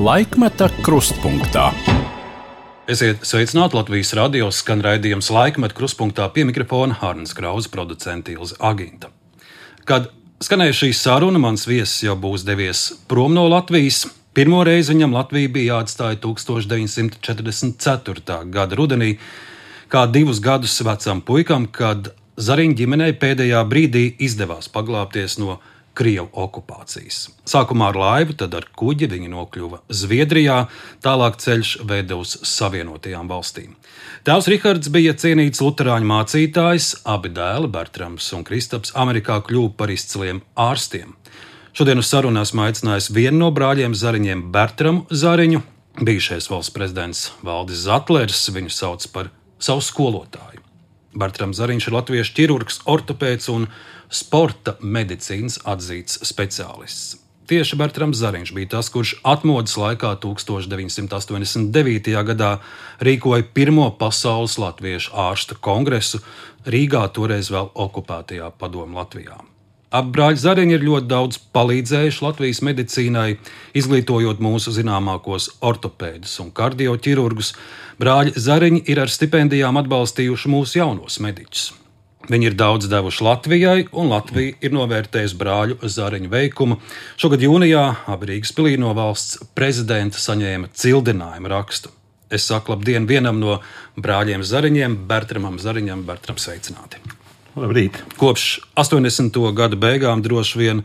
Laikmeta krustpunktā. Esiet sveicināti Latvijas radio skan raidījums Laikmeta krustpunktā pie mikrofona Hārnas Krauze, producente Ilze Aginta. Kad skanēja šī saruna, mans viesis jau būs devies prom no Latvijas. Pirmo reizi viņam Latvija bija jāatstāja 1944. gada rudenī, kā 2 gadus vecam puikam, kad Zariņu ģimenei pēdējā brīdī izdevās paglābties no Krievu okupācijas. Sākumā ar laivu, tad ar kuģi viņi nokļuva Zviedrijā, tālāk ceļš veda uz Savienotajām valstīm. Tēvs Rihards bija cienīts luterāņu mācītājs, abi dēli, Bertrams un Kristaps, Amerikā kļuva par izciliem ārstiem. Šodien uz sarunu esmu aicinājis vienu no brāļiem Zariņiem, Bertramu Zariņu. Bijušais valsts prezidents Valdis Zatlers viņu sauc par savu skolotāju. Bertrams Zariņš ir latviešu ķirurgs, ortopēds un sporta medicīnas atzīts speciālists. Tieši Bertrams Zariņš bija tas, kurš atmodas laikā 1989. gadā rīkoja pirmo pasaules latviešu ārstu kongresu Rīgā, toreiz vēl okupētajā Padomju Latvijā. Abi brāļi Zariņi ir ļoti daudz palīdzējuši Latvijas medicīnai, izglītojot mūsu zināmākos ortopēdus un kardioķirurgus. Brāļi Zariņi ir ar stipendijām atbalstījuši mūsu jaunos mediķus. Viņi ir daudz devuši Latvijai, un Latvija ir novērtējusi brāļu Zariņu veikumu. Šogad jūnijā abi Rīgas pilī no valsts prezidenta saņēma cildinājumu rakstu. Es saku labdien vienam no brāļiem Zariņiem, Bertramam Zariņam. Bertram, sveicināti! Labrīt! Kopš 80. gadu beigām droši vien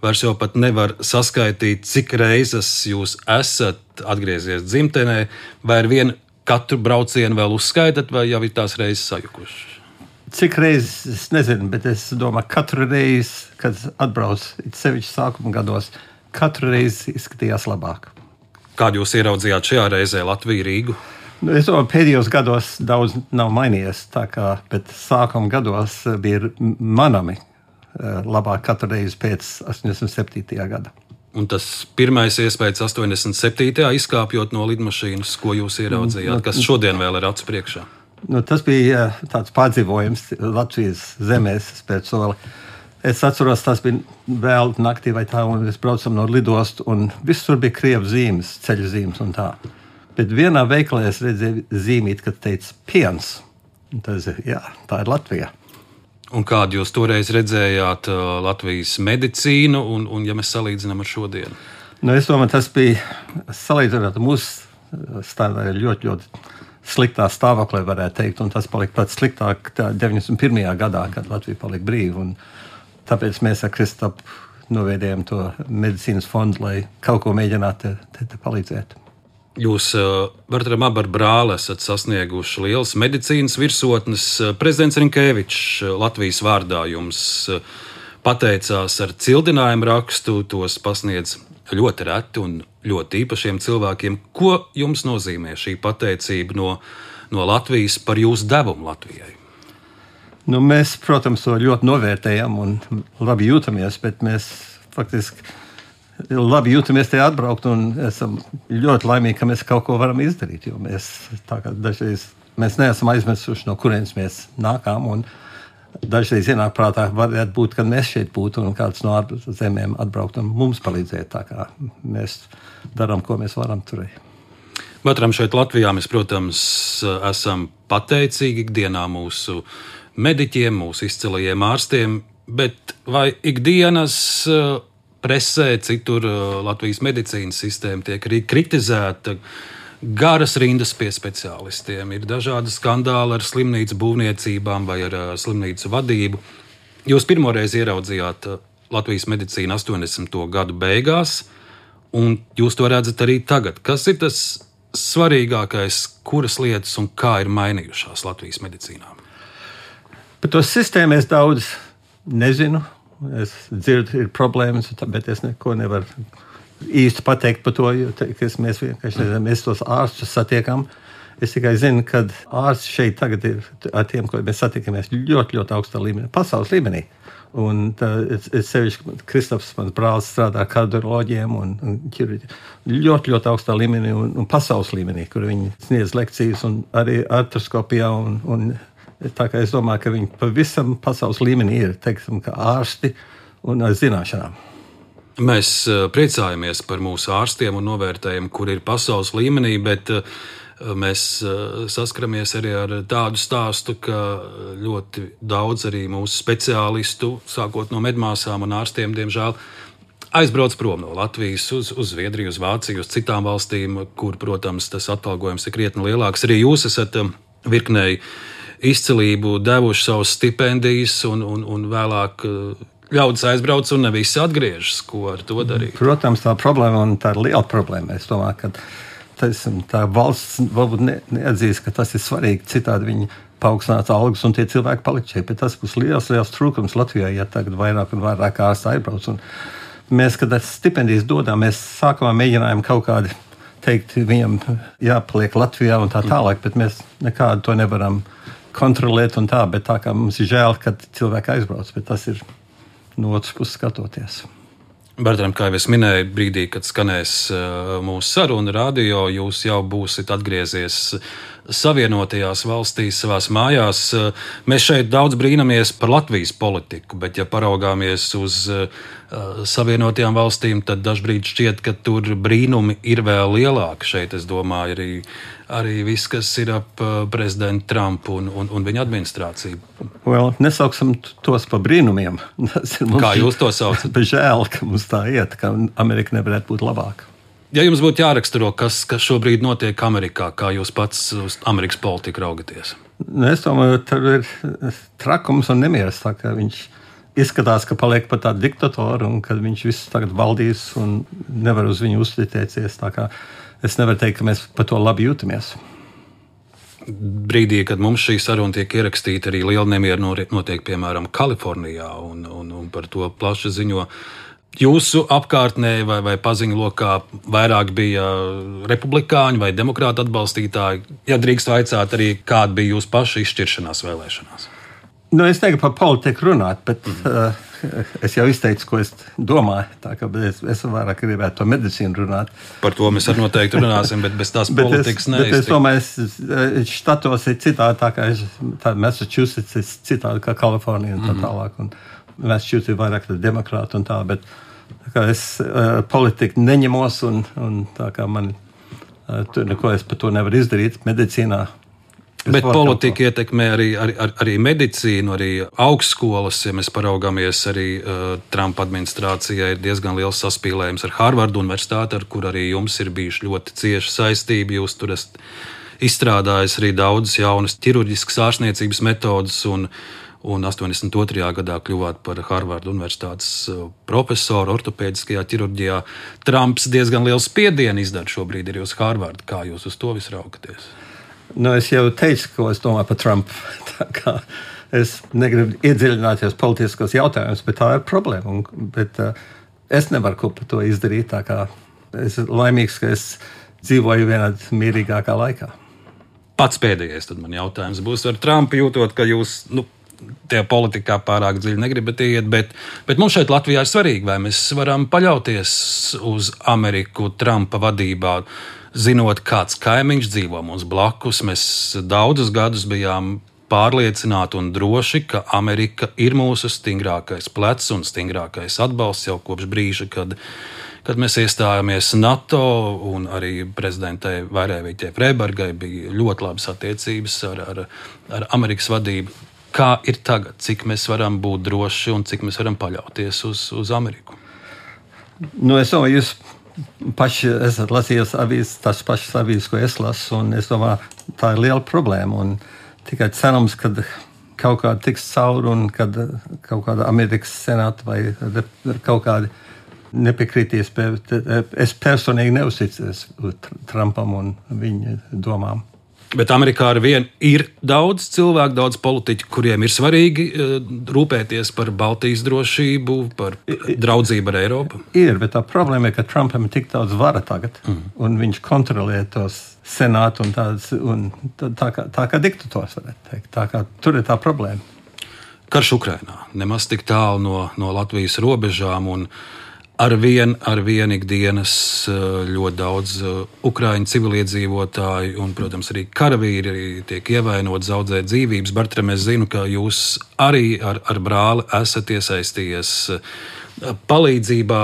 vairs jau pat nevar saskaitīt, cik reizes jūs esat atgriezies dzimtenē, vai ar vienu katru braucienu vēl uzskaitat, vai jau ir tās reizes sajukuši? Cik reizes, es nezinu, bet es domāju, katru reizi, kad atbrauc, sevišķi sākuma gados, katru reizi izskatījās labāk. Kādu jūs ieraudzījāt šajā reizē Latviju, Rīgu? Es domāju, pēdējos gados daudz nav mainījies, bet sākuma gados bija manami labāk katru reizi pēc 87. gada. Un tas pirmais iespējas 87. izkāpjot no lidmašīnas, ko jūs ieraudzījāt, kas šodien vēl ir acu priekšā? Tas bija tāds pārdzīvojums Latvijas zemēs pēc soli. Es atceros, tas bija vēl naktī vai tā, un mēs braucam no lidostu, un visur bija krievu zīmes, ceļu zīmes un tā. Bet vienā veikalā es redzēju zīmīt, kad teica piens. Un tas ir, jā, tā ir Latvija. Un kādu jūs toreiz redzējāt Latvijas medicīnu, un ja mēs salīdzinām ar šodienu? Es domāju, tas bija salīdzināt mūsu stāvā ļoti, ļoti sliktā stāvoklī, varētu teikt, un tas palika pats sliktāk 91. gadā, kad Latvija palika brīva, un tāpēc mēs ar Kristapu noviedējām to medicīnas fondu, lai kaut ko mēģinātu te palīdzēt. Jūs, Bertram, abi ar brāli esat sasnieguši lielas medicīnas virsotnes. Prezidents Rinkēvičs Latvijas vārdā jums pateicās ar cildinājumu rakstu, tos pasniedz ļoti reti un ļoti īpašiem cilvēkiem. Ko jums nozīmē šī pateicība no Latvijas par jūsu devumu Latvijai? Mēs, protams, to ļoti novērtējam un labi jūtamies, bet mēs faktiski labi jūtamies te atbraukt un esam ļoti laimīgi, ka mēs kaut ko varam izdarīt, jo mēs dažreiz neesam aizmirsuši, no kurienes mēs nākām, un dažreiz ienāk prātā, varētu būt, kad mēs šeit būtu un kāds no ārzemēm atbraukt un mums palīdzēt, tā kā mēs darām, ko mēs varam turēt. Bertram, šeit Latvijā mēs, protams, esam pateicīgi ikdienā mūsu mediķiem, mūsu izcilajiem ārstiem, bet vai ikdienas presē, citur Latvijas medicīnas sistēma tiek arī kritizēta, garas rindas pie speciālistiem, ir dažādi skandāli ar slimnīcu būvniecībām vai ar slimnīcu vadību. Jūs pirmoreiz ieraudzījāt Latvijas medicīnu 80. gadu beigās, un jūs to redzat arī tagad. Kas ir tas svarīgākais, kuras lietas un kā ir mainījušās Latvijas medicīnā? Par to sistēmu es daudz nezinu. Es dzirdu, ir problēmas, bet es neko nevaru īsti pateikt par to, jo mēs vienkārši nezinām, mēs tos ārstus satiekam. Es tikai zinu, ka ārsti šeit tagad ir ar tiem, ko mēs satiekamies ļoti, ļoti augstā līmenī, pasaules līmenī. Un es sevišķi, Kristaps, mans brālis, strādā ar kardioloģiem un ļoti, ļoti augstā līmenī un pasaules līmenī, kur viņi sniedz lekcijas un arī artroskopijā un tā kā es domāju, ka viņi pavisam pasaules līmenī ir, teiksim, kā ārsti un ar zināšanām. Mēs priecājamies par mūsu ārstiem un novērtējam, kur ir pasaules līmenī, bet mēs saskaramies arī ar tādu stāstu, ka ļoti daudz arī mūsu speciālistu, sākot no medmāsām un ārstiem, diemžēl, aizbrauc prom no Latvijas uz Zviedriju, uz Vāciju, uz citām valstīm, kur, protams, tas atalgojums ir krietni lielāks. Arī jūs esat virknēji izcilību devuši savus stipendijas un vēlāk ļaudis aizbrauc un ne visi atgriežas. Ko ar to darīt? Protams, tā problēma un tā ir liela problēma. Es domāju, ka tā valsts varbūt neatzīst, ka tas ir svarīgi. Citādi viņi paaugstinātu algas un tie cilvēki palikt šeit. Bet tas būs liels trūkums Latvijā, ja tagad vairāk un vairāk ārsti aizbrauc. Un mēs, kad stipendijas dodām, mēs sākumā mēģinājām kaut kādi teikt, viņam jāpaliek Latvijā un tā tālāk, bet mēs nekādu to nevaram kontrolēt un tā, bet tā kā mums ir žēl, kad cilvēki aizbrauc, bet tas ir no otras puses skatoties. Bertram, kā jau es minēju, brīdī, kad skanēs mūsu saruna radio, jūs jau būsiet atgriezies Savienotajās valstīs, savās mājās. Mēs šeit daudz brīnamies par Latvijas politiku, bet ja paraugāmies uz Savienotajām valstīm, tad dažbrīd šķiet, ka tur brīnumi ir vēl lielāki. Šeit, es domāju, arī viss, kas ir ap prezidentu Trumpu un viņa administrāciju. Nesauksim tos par brīnumiem. Kā jūs to saucat? Bet žēl, ka mums tā iet, ka Amerika nevarētu būt labāka. Ja jums būtu jāraksturo, kas šobrīd notiek Amerikā, kā jūs pats uz Amerikas politiku raugaties? Es domāju, tur ir trakums un nemieris. Tā kā viņš izskatās, ka paliek par tādu diktatoru un ka viņš visu tagad valdīs un nevar uz viņu uzticēties. Tā kā es nevaru teikt, ka mēs par to labi jūtamies. Brīdī, kad mums šī saruna tiek ierakstīta, arī liela nemiera notiek, piemēram, Kalifornijā, un par to plaši ziņo. Jūsu apkārtnē vai paziņu lokā vairāk bija republikāņu vai demokrātu atbalstītāji? Ja drīkst vaicāt arī, kāda bija jūsu paša izšķiršanās vēlēšanās? Es negribu par politiku runāt, bet es jau izteicu, ko es domāju. Tā kā es vairāk gribētu par medicīnu runāt. Par to mēs arī noteikti runāsim, bet bez tās politikas neiztikt. Bet es domāju, štatos ir citādi, tā kā Massachusetts ir citādi kā Kalifornija un tā tālāk. Un Massachusetts ir vairāk demokrāti un tā, bet tā kā es politiku neņemos un tā kā man tur neko es par to nevaru izdarīt medicīnā. Bet politika ietekmē arī medicīnu, arī augstskolas. Ja mēs paraugāmies, arī Trumpa administrācijai ir diezgan liels saspīlējums ar Harvardu universitāti, ar kur arī jums ir bijuši ļoti cieši saistība. Jūs tur esat izstrādājis arī daudzas jaunas ķirurģiskas ārstniecības metodas un 82. gadā kļuvāt par Harvardu universitātes profesoru ortopēdiskajā ķirurģijā. Trumps diezgan liels spiedienu izdara šobrīd arī uz Harvardu. Kā jūs uz to visu raugaties? Es jau teicu, ko es domāju par Trumpu. Tā kā es negribu iedziļināties politiskos jautājumus, bet tā ir problēma. Bet es nevaru ko par to izdarīt. Tā kā es esmu laimīgs, ka es dzīvoju vienā mierīgākā laikā. Pats pēdējais tad man jautājums būs ar Trumpu, jūtot, ka jūs tie politikā pārāk dziļi negribat iet, bet mums šeit Latvijā ir svarīgi, vai mēs varam paļauties uz Ameriku Trumpa vadībā, zinot, kāds kaimiņš dzīvo mums blakus. Mēs daudzus gadus bijām pārliecināti un droši, ka Amerika ir mūsu stingrākais plecs un stingrākais atbalsts jau kopš brīža, kad mēs iestājāmies NATO, un arī prezidentai Vairēvītei Freibergai bija ļoti labas attiecības ar Amerikas vadību. Kā ir tagad? Cik mēs varam būt droši un cik mēs varam paļauties uz Ameriku? Es domāju, jūs paši esat lasījis avīzes, tas pašas avīzes, ko es lasu, un es domāju, tā ir liela problēma. Un tikai cerams, ka kaut kāda tiks cauri un kad kaut kāda Amerikas senāta vai kaut kādi nepiekritīs. Es personīgi neuzticos Trumpam un viņa domām. Bet Amerikā ar vienu ir daudz cilvēku, daudz politiķu, kuriem ir svarīgi rūpēties par Baltijas drošību, par draudzību ar Eiropu. Ir, bet tā problēma ir, ka Trumpam ir tik daudz vara tagad, un viņš kontrolē tos senātu un tā kā diktators, varētu teikt. Tā kā tur ir tā problēma. Karš Ukrainā nemaz tik tālu no Latvijas robežām, un ar vien ikdienas ļoti daudz ukraiņu civiliedzīvotāju un, protams, arī karavīri tiek ievainoti, zaudē dzīvības. Bertram, es zinu, ka jūs arī ar brāli esat iesaistījies palīdzībā,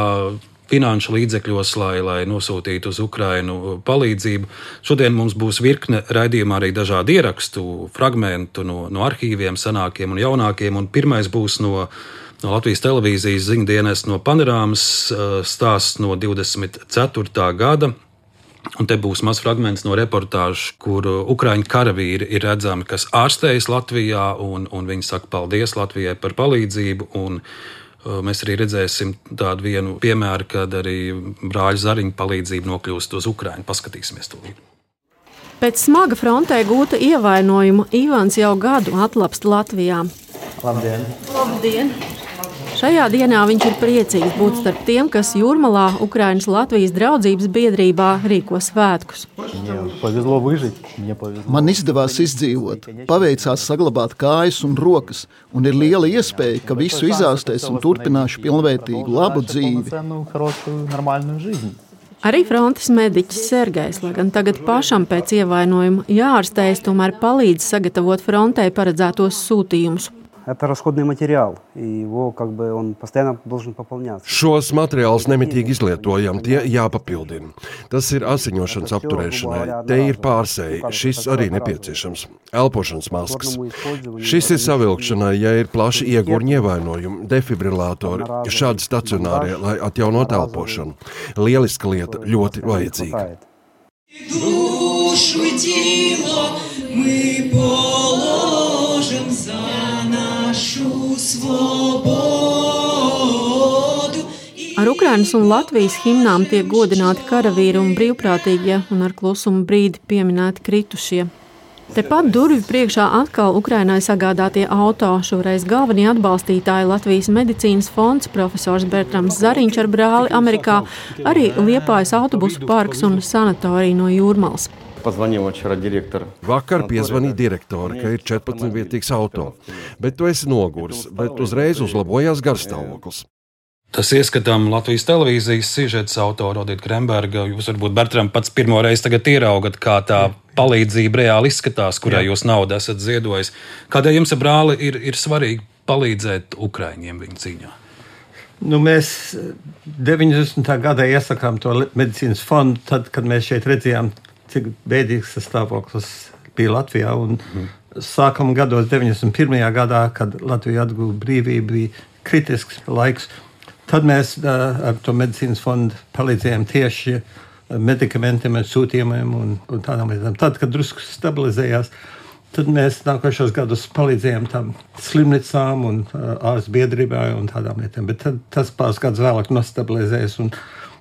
finanšu līdzekļos, lai nosūtītu uz Ukrainu palīdzību. Šodien mums būs virkne raidījumā arī dažādi ierakstu, fragmentu no arhīviem, senākiem un jaunākiem. Un pirmais būs no Latvijas televīzijas ziņdienas no Panorāmas stāsts no 24. gada. Un te būs mazs fragments no reportāžu, kur ukraiņu karavīri ir redzami, kas ārstējas Latvijā, un viņi saka paldies Latvijai par palīdzību. Un mēs arī redzēsim tādu vienu piemēru, kad arī brāļu Zariņu palīdzību nokļūst uz Ukrainu. Paskatīsimies to līdzi. Pēc smaga frontē gūta ievainojuma Ivans jau gadu atlapst Latvijā. Labdien! Labdien! Šajā dienā viņš ir priecīgs būt starp tiem, kas Jūrmalā Ukrainas Latvijas draudzības biedrībā rīko svētkus. Man izdevās izdzīvot, paveicās saglabāt kājas un rokas, un ir liela iespēja, ka visu izārstēs un turpināšu pilnvērtīgu labu dzīvi. Arī frontes mediķis Sergejs, lai gan tagad pašam pēc ievainojuma jāārstējas, tomēr palīdz sagatavot frontē paredzētos sūtījumus. Это расходный материал, и его он постоянно должен пополняться. Šos materiālus nemitīgi izlietojam, tie jāpapildina. Tas ir asiņošanas apturēšanai, te ir pārsēji, šis arī nepieciešams. Elpošanas maskas. Šis ir savilkšanai, ja ir plaši iegurņi ievainojumi, defibrilātori, šādi stacionārie, lai atjaunot elpošanu. Lieliska lieta, ļoti vajadzīga. Душу и тело мы положим за нашу свободу. Ar Ukrainas un Latvijas himnām tiek godināti karavīri un brīvprātīgie un ar klusumu brīdi pieminēti kritušie. Tepat durvju priekšā atkal Ukrainai sagādātie auto, šoreiz galvenie atbalstītāji Latvijas medicīnas fonds, profesors Bertrams Zariņš ar brāli Amerikā, arī Liepājas autobusu parks un sanatorija no Jūrmalas. Vakar piezvanīja direktori, ka ir 14-vietīgs auto, bet tu esi noguris, bet uzreiz uzlabojās garstāvoklis. Tas ieskatām Latvijas televīzijas sižets autora Odita Kremberga. Jūs varbūt, Bertram, pats pirmo reizi tagad ieraugat, kā tā palīdzība reāli izskatās, kurai jūs naudu esat ziedojis. Kādēļ jums, brāli, ir svarīgi palīdzēt ukraiņiem viņu cīņā? Mēs 90. gadā iesakām to medicīnas fondu, tad, kad mēs šeit redzējām, cik bēdīgs tas stāvoklis bija Latvijā. Un sākam gados 91. gadā, kad Latvija atguva brīvību, bija kritisks laiks. Tad mēs ar to medicīnas fondu palīdzējām tieši medikamentiem, sūtījumiem un tādām lietām. Tad, kad drusku stabilizējās, tad mēs nākošos gadus palīdzējām tam slimnīcām un ārstu biedrībai un tādām lietām. Bet tas pāris gadus vēlāk nostabilizējas. Un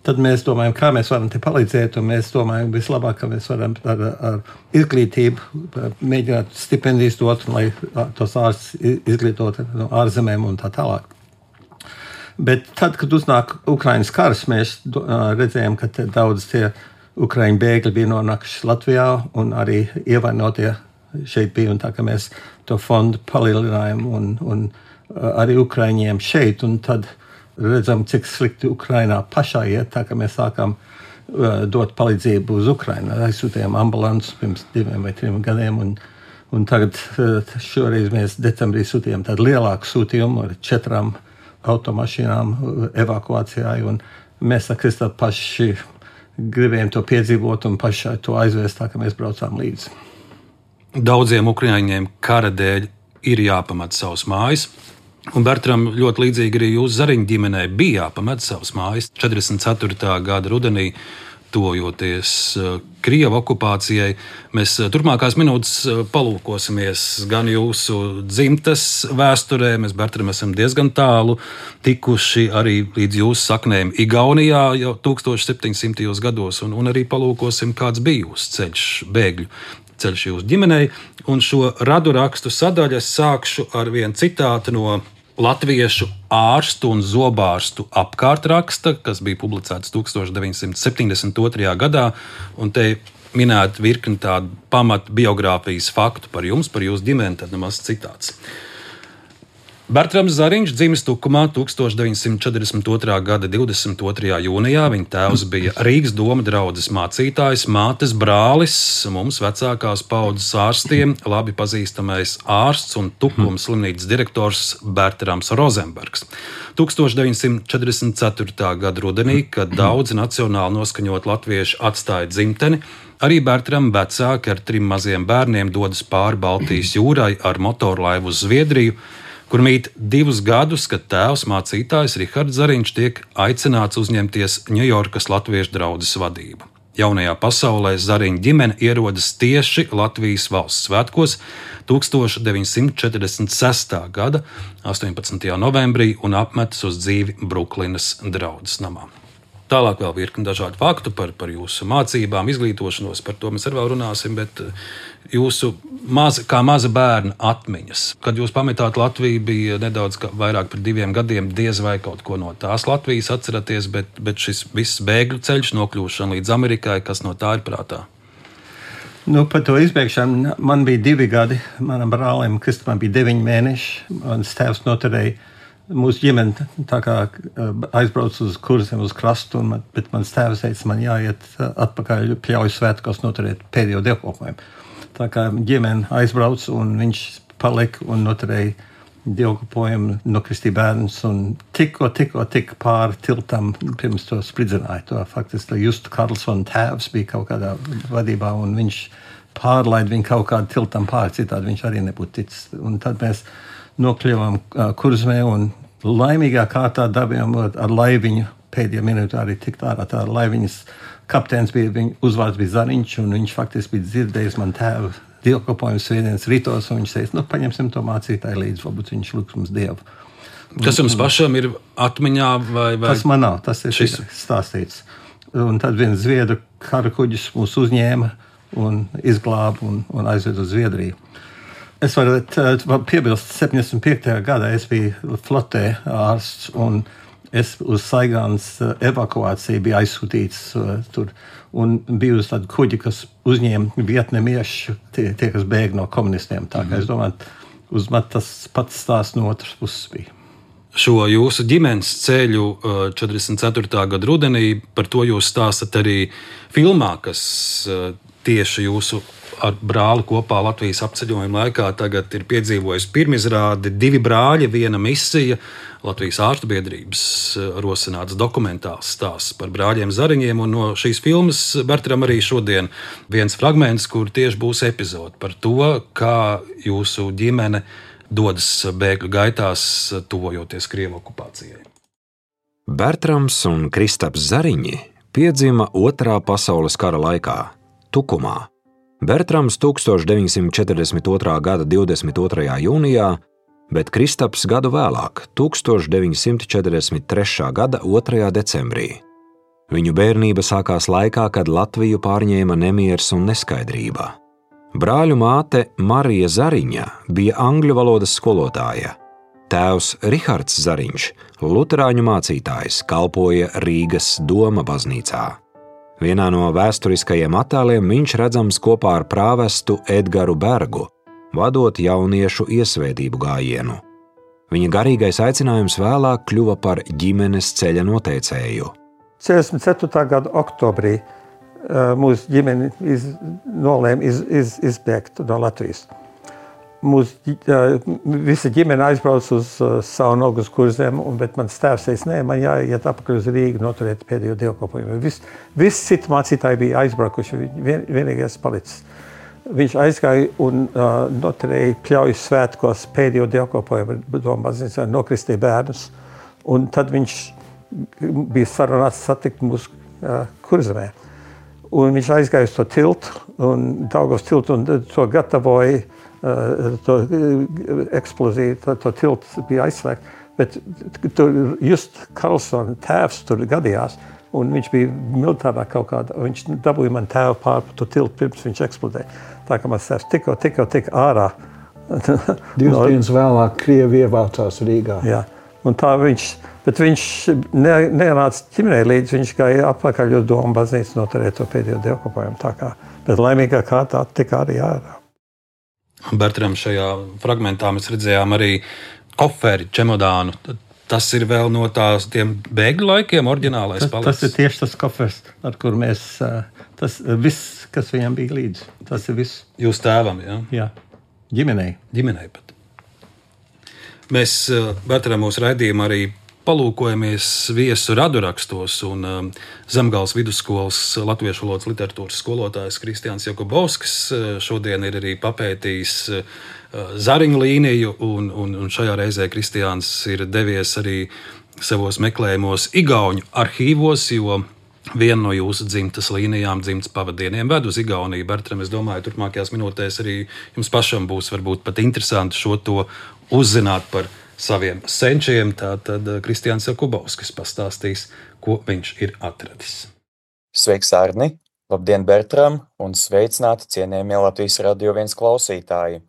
tad mēs domājam, kā mēs varam te palīdzēt. Un mēs domājam, vislabāk, ka mēs varam ar izglītību mēģināt stipendijas dot, lai tos ārstus izglītot no ārzemēm un tā tālāk. Bet tad, kad uznāk Ukrainas karš, mēs redzējām, ka daudz tie ukraiņu bēgļi bija nonākuši Latvijā un arī ievainotie šeit bija. Un tā, ka mēs to fondu palielinājām un arī ukraiņiem šeit. Un tad redzam, cik slikti Ukrainā pašā iet, tā ka mēs sākām dot palīdzību uz Ukrainu. Aizsūtījām ambulances pirms 2 vai 3 gadiem. Un tagad šoreiz mēs decembrī sūtījām tādu lielāku sūtījumu ar 4 automašīnām evakuācijai, un mēs ar Kristā paši gribējām to piedzīvot un paši to aizvēst, tā ka mēs braucām līdzi. Daudziem ukraiņiem kara dēļ ir jāpamet savas mājas, un Bertram ļoti līdzīgi arī jūsu Zariņu ģimenei bija jāpamet savas mājas 44. gada rudenī, tuvojoties Krievu okupācijai. Mēs turpmākās minūtes palūkosimies gan jūsu dzimtes vēsturē, mēs, Bertram, esam diezgan tālu tikuši arī līdz jūsu saknēm Igaunijā jau 1700. gados, un arī palūkosim, kāds bija jūsu ceļš, bēgļu ceļš jūsu ģimenei. Un šo radu rakstu sadaļu es sākšu ar vienu citātu no latviešu ārstu un zobārstu apkārtraksta, kas bija publicēts 1972. gadā, un te minēt virkni tādu pamat biogrāfijas faktu par jums, par jūsu ģimeni, tad nemaz citāts. Bertrams Zariņš dzimis Tukumā 1942. gada 22. jūnijā. Viņa tēvs bija Rīgas doma draudzes mācītājs, mātes brālis, mums vecākās paudzes ārstiem, labi pazīstamais ārsts un Tukumas slimnīcas direktors Bertrams Rozenbergs. 1944. gada rudenī, kad daudzi nacionāli noskaņot latvieši atstāja dzimteni, arī Bertram vecāki ar 3 maziem bērniem dodas pāri Baltijas jūrai ar motorlaivu uz Zviedriju, kur mīt 2 gadus, kad tēvs mācītājs Rihards Zariņš tiek aicināts uzņemties Ņujorkas latviešu draudzes vadību. Jaunajā pasaulē Zariņa ģimene ierodas tieši Latvijas valsts svētkos 1946. gada 18. novembrī un apmetas uz dzīvi Bruklinas draudzes namā. Tālāk vēl virkni dažādu faktu par jūsu mācībām, izglītošanos, par to mēs arī vēl runāsim, bet jūsu kā maza bērna atmiņas. Kad jūs pametāt Latviju, bija nedaudz vairāk par 2 gadiem, diez vai kaut ko no tās Latvijas atceraties, bet šis viss bēgļu ceļš, nokļūšana līdz Amerikai, kas no tā ir prātā? Par to izbēgšanu man bija 2 gadi, manam brālim Kristupam bija 9 mēneši, mans tēvs noturēja. Mūsu ģimene tā kā aizbrauc uz kursiem, uz krastu, bet mans tēvs teica, man jāiet atpakaļ Pļauju svētkos noturēt pēdējo dievkalpojumu. Tā kā ģimene aizbrauc un viņš palika un noturēja dievkalpojumu, nokristīja bērnus un tikko pāri tiltam pirms to spridzināja. To faktiski Justu Karlsona tēvs bija kaut kādā vadībā un viņš pārlaida viņu kaut kādu tiltam pāri, citādi viņš arī nebūtu ticis. Un tad mēs nokļuvām Kurzemē un laimīgā kārtā dabījām ar laiviņu pēdējā minūtē arī tikt ārā. Tā laiviņas kapteinis bija, viņa uzvārds bija Zariņš, un viņš faktiski bija dzirdējis man tēvu dievkalpojumu svētdienas ritos, un viņš teica, paņemsim to mācītāju līdzi, varbūt viņš lūgs mums Dievu. Tas jums pašam ir atmiņā vai? Tas man nav, tas ir stāstīts. Un tad viens Zviedru kara kuģis mūs uzņēma un izglāba un aizved uz Zviedriju. Es varu piebilst, 75. gadā es biju flotē ārsts, un es uz Saigānas evakuāciju biju aizsūtīts tur, un biju uz tādu kuģi, kas uzņēma vietnamiešu, tie, kas bēg no komunistiem. Tā kā es domāju, uz man tas pats stāsts no otras puses bija. Šo jūsu ģimenes ceļu 44. gada rudenī, par to jūs stāstat arī filmā, kas tieši jūsu ar brāli kopā Latvijas apceļojuma laikā tagad ir piedzīvojis pirmizrādi 2 brāļi, 1 misija, Latvijas ārstu biedrības rosināts dokumentāls stāsts par brāļiem Zariņiem, un no šīs filmas Bertram arī šodien viens fragments, kur tieši būs epizode par to, kā jūsu ģimene dodas bēgļu gaitās, tuvojoties Krievu okupācijai. Bertrams un Kristaps Zariņi piedzima Otrā pasaules kara laikā, Tukumā. Bertrams 1942. gada 22. jūnijā, bet Kristaps gadu vēlāk, 1943. gada 2. decembrī. Viņu bērnība sākās laikā, kad Latviju pārņēma nemieris un neskaidrība. Brāļu māte Marija Zariņa bija angļu valodas skolotāja. Tēvs Rihards Zariņš, luterāņu mācītājs, kalpoja Rīgas doma baznīcā. Vienā no vēsturiskajiem attēliem viņš redzams kopā ar prāvestu Edgaru Bergu, vadot jauniešu iesvētību gājienu. Viņa garīgais aicinājums vēlāk kļuva par ģimenes ceļa noteicēju. 44. gada oktobrī mūsu ģimene nolēma izbēgt no Latvijas. Visa ģimene aizbrauc uz Saunogu uz Kurzem, bet mans tēvs teica, nē, man jāiet apakaļ uz Rīgu noturēt pēdējo dievkalpojumu. Visi citi mācītāji bija aizbraukuši, vienīgais palicis. Viņš aizgāja un noturēja Pļaujas svētkos pēdējo dievkalpojumu, domāziņā nokristīja bērnus, un tad viņš bija sarunāts satikt mūsu Kurzemē. Un viņš aizgāja uz to tiltu, un Daugavas tiltu, un to gatavoja to eksploziju, to tiltu bija aizslēgt, bet tur just Karlsona tēvs tur gadījās, un viņš bija militārā kaut kāda, un viņš dabūja man tēvu pār to tiltu pirms viņš eksplodēja. Tā kā mans tēvs tikko ārā. 2 dienas vēlāk Krievi ievācās Rīgā. Jā, un tā bet viņš nenāca ģimenei līdzi, viņš gāja apakaļ uz domu baznīcu noturēt to pēdējo dievkalpojumu, tā kā, bet laimīgā kārtā tika arī ārā. Bertram, šajā fragmentā mēs redzējām arī koferi, čemodānu. Tas ir vēl no tiem bēgļu laikiem, oriģinālais palicis. Tas ir tieši tas kofers, ar kur mēs, tas viss, kas viņam bija līdzi. Tas ir viss. Jūs tēvam, jā? Jā, ģimenei. Ģimenei pat. Mēs Bertram mūsu raidījumā arī palūkojamies viesu radurakstos, un Zemgales vidusskolas latviešu valodas literatūras skolotājs Kristiāns Jakubovskis šodien ir arī papētījis Zariņu līniju, un šajā reizē Kristiāns ir devies arī savos meklējumos igauņu arhīvos, jo viena no jūsu dzimtas līnijām, dzimtas pavadieniem ved uz Igauniju. Bertram, es domāju, turpmākajās minūtēs arī jums pašam būs varbūt pat interesanti šo to uzzināt par saviem senčiem. Tātad Kristiāns Jakubovskis pastāstīs, ko viņš ir atradis. Sveiks, Arni! Labdien, Bertram! Un sveicināti cienījamie Latvijas Radio 1 klausītāji!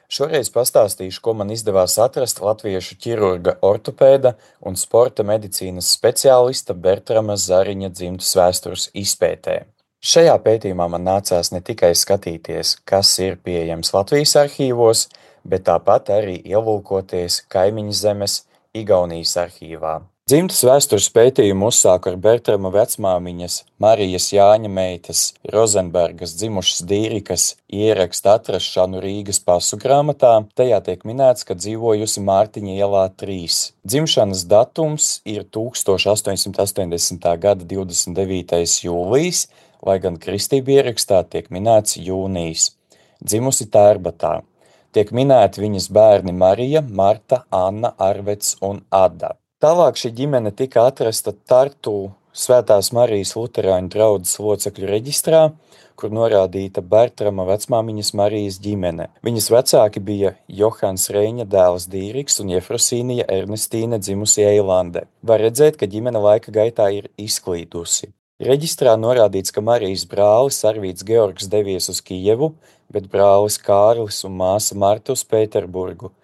Šoreiz pastāstīšu, ko man izdevās atrast latviešu ķirurga, ortopēda un sporta medicīnas speciālista Bertrama Zariņa dzimtas vēstures izpētē. Šajā pētījumā man nācās ne tikai skatīties, kas ir pieejams Latvijas arhīvos, bet tāpat arī ielūkoties kaimiņu zemes Igaunijas arhīvā. Dzimtas vēstures pētījumu uzsāku ar Bertrama vecmāmiņas Marijas Jāņa meitas Rozenbergas dzimušas Dīrikas ierakstu atrašanu Rīgas pasu grāmatā. Tajā tiek minēts, ka dzīvojusi Mārtiņa ielā 3. Dzimšanas datums ir 1880. gada 29. jūlijas, lai gan kristību ierakstā tiek minēts jūnijas. Dzimusi Tērbatā. Tiek minēti viņas bērni Marija, Marta, Anna, Arvets un Ada. Tālāk šī ģimene tika atrasta Tartu Svētās Marijas luterāņu draudzes locekļu reģistrā, kur norādīta Bertrama vecmāmiņas Marijas ģimene. Viņas vecāki bija Johans Reiņa dēls Dīriks un Jefrosīnija Ernestīne dzimusi Eilande. Var redzēt, ka ģimene laika gaitā ir izklīdusi. Reģistrā norādīts, ka Marijas brālis Arvīts Georgs devies uz Kijevu, bet brālis Kārlis un māsa Marta uz Pēterburgu.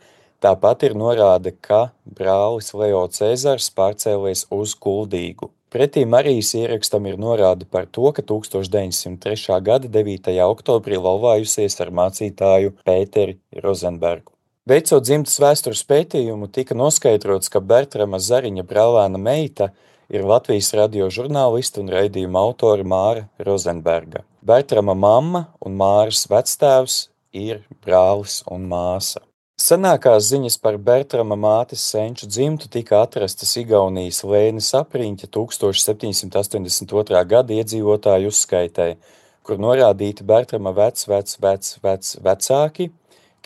Tāpat ir norāde, ka brālis Leo Cēzars pārcēlies uz Kuldīgu. Pretī Marijas ierakstam ir norāde par to, ka 1903. gada 9. oktobrī laulājusies ar mācītāju Pēteri Rozenbergu. Veicot dzimtas vēstures pētījumu, tika noskaidrots, ka Bertrama Zariņa brālēna meita ir Latvijas radio žurnālista un raidījuma autora Māra Rozenberga. Bertrama mamma un Māras vectēvs ir brālis un māsa. Senākās ziņas par Bertrama mātes senču dzimtu tika atrastas Igaunijas Lēnes apriņķa 1782. gada iedzīvotāju uzskaitē, kur norādīti Bertrama vecāki,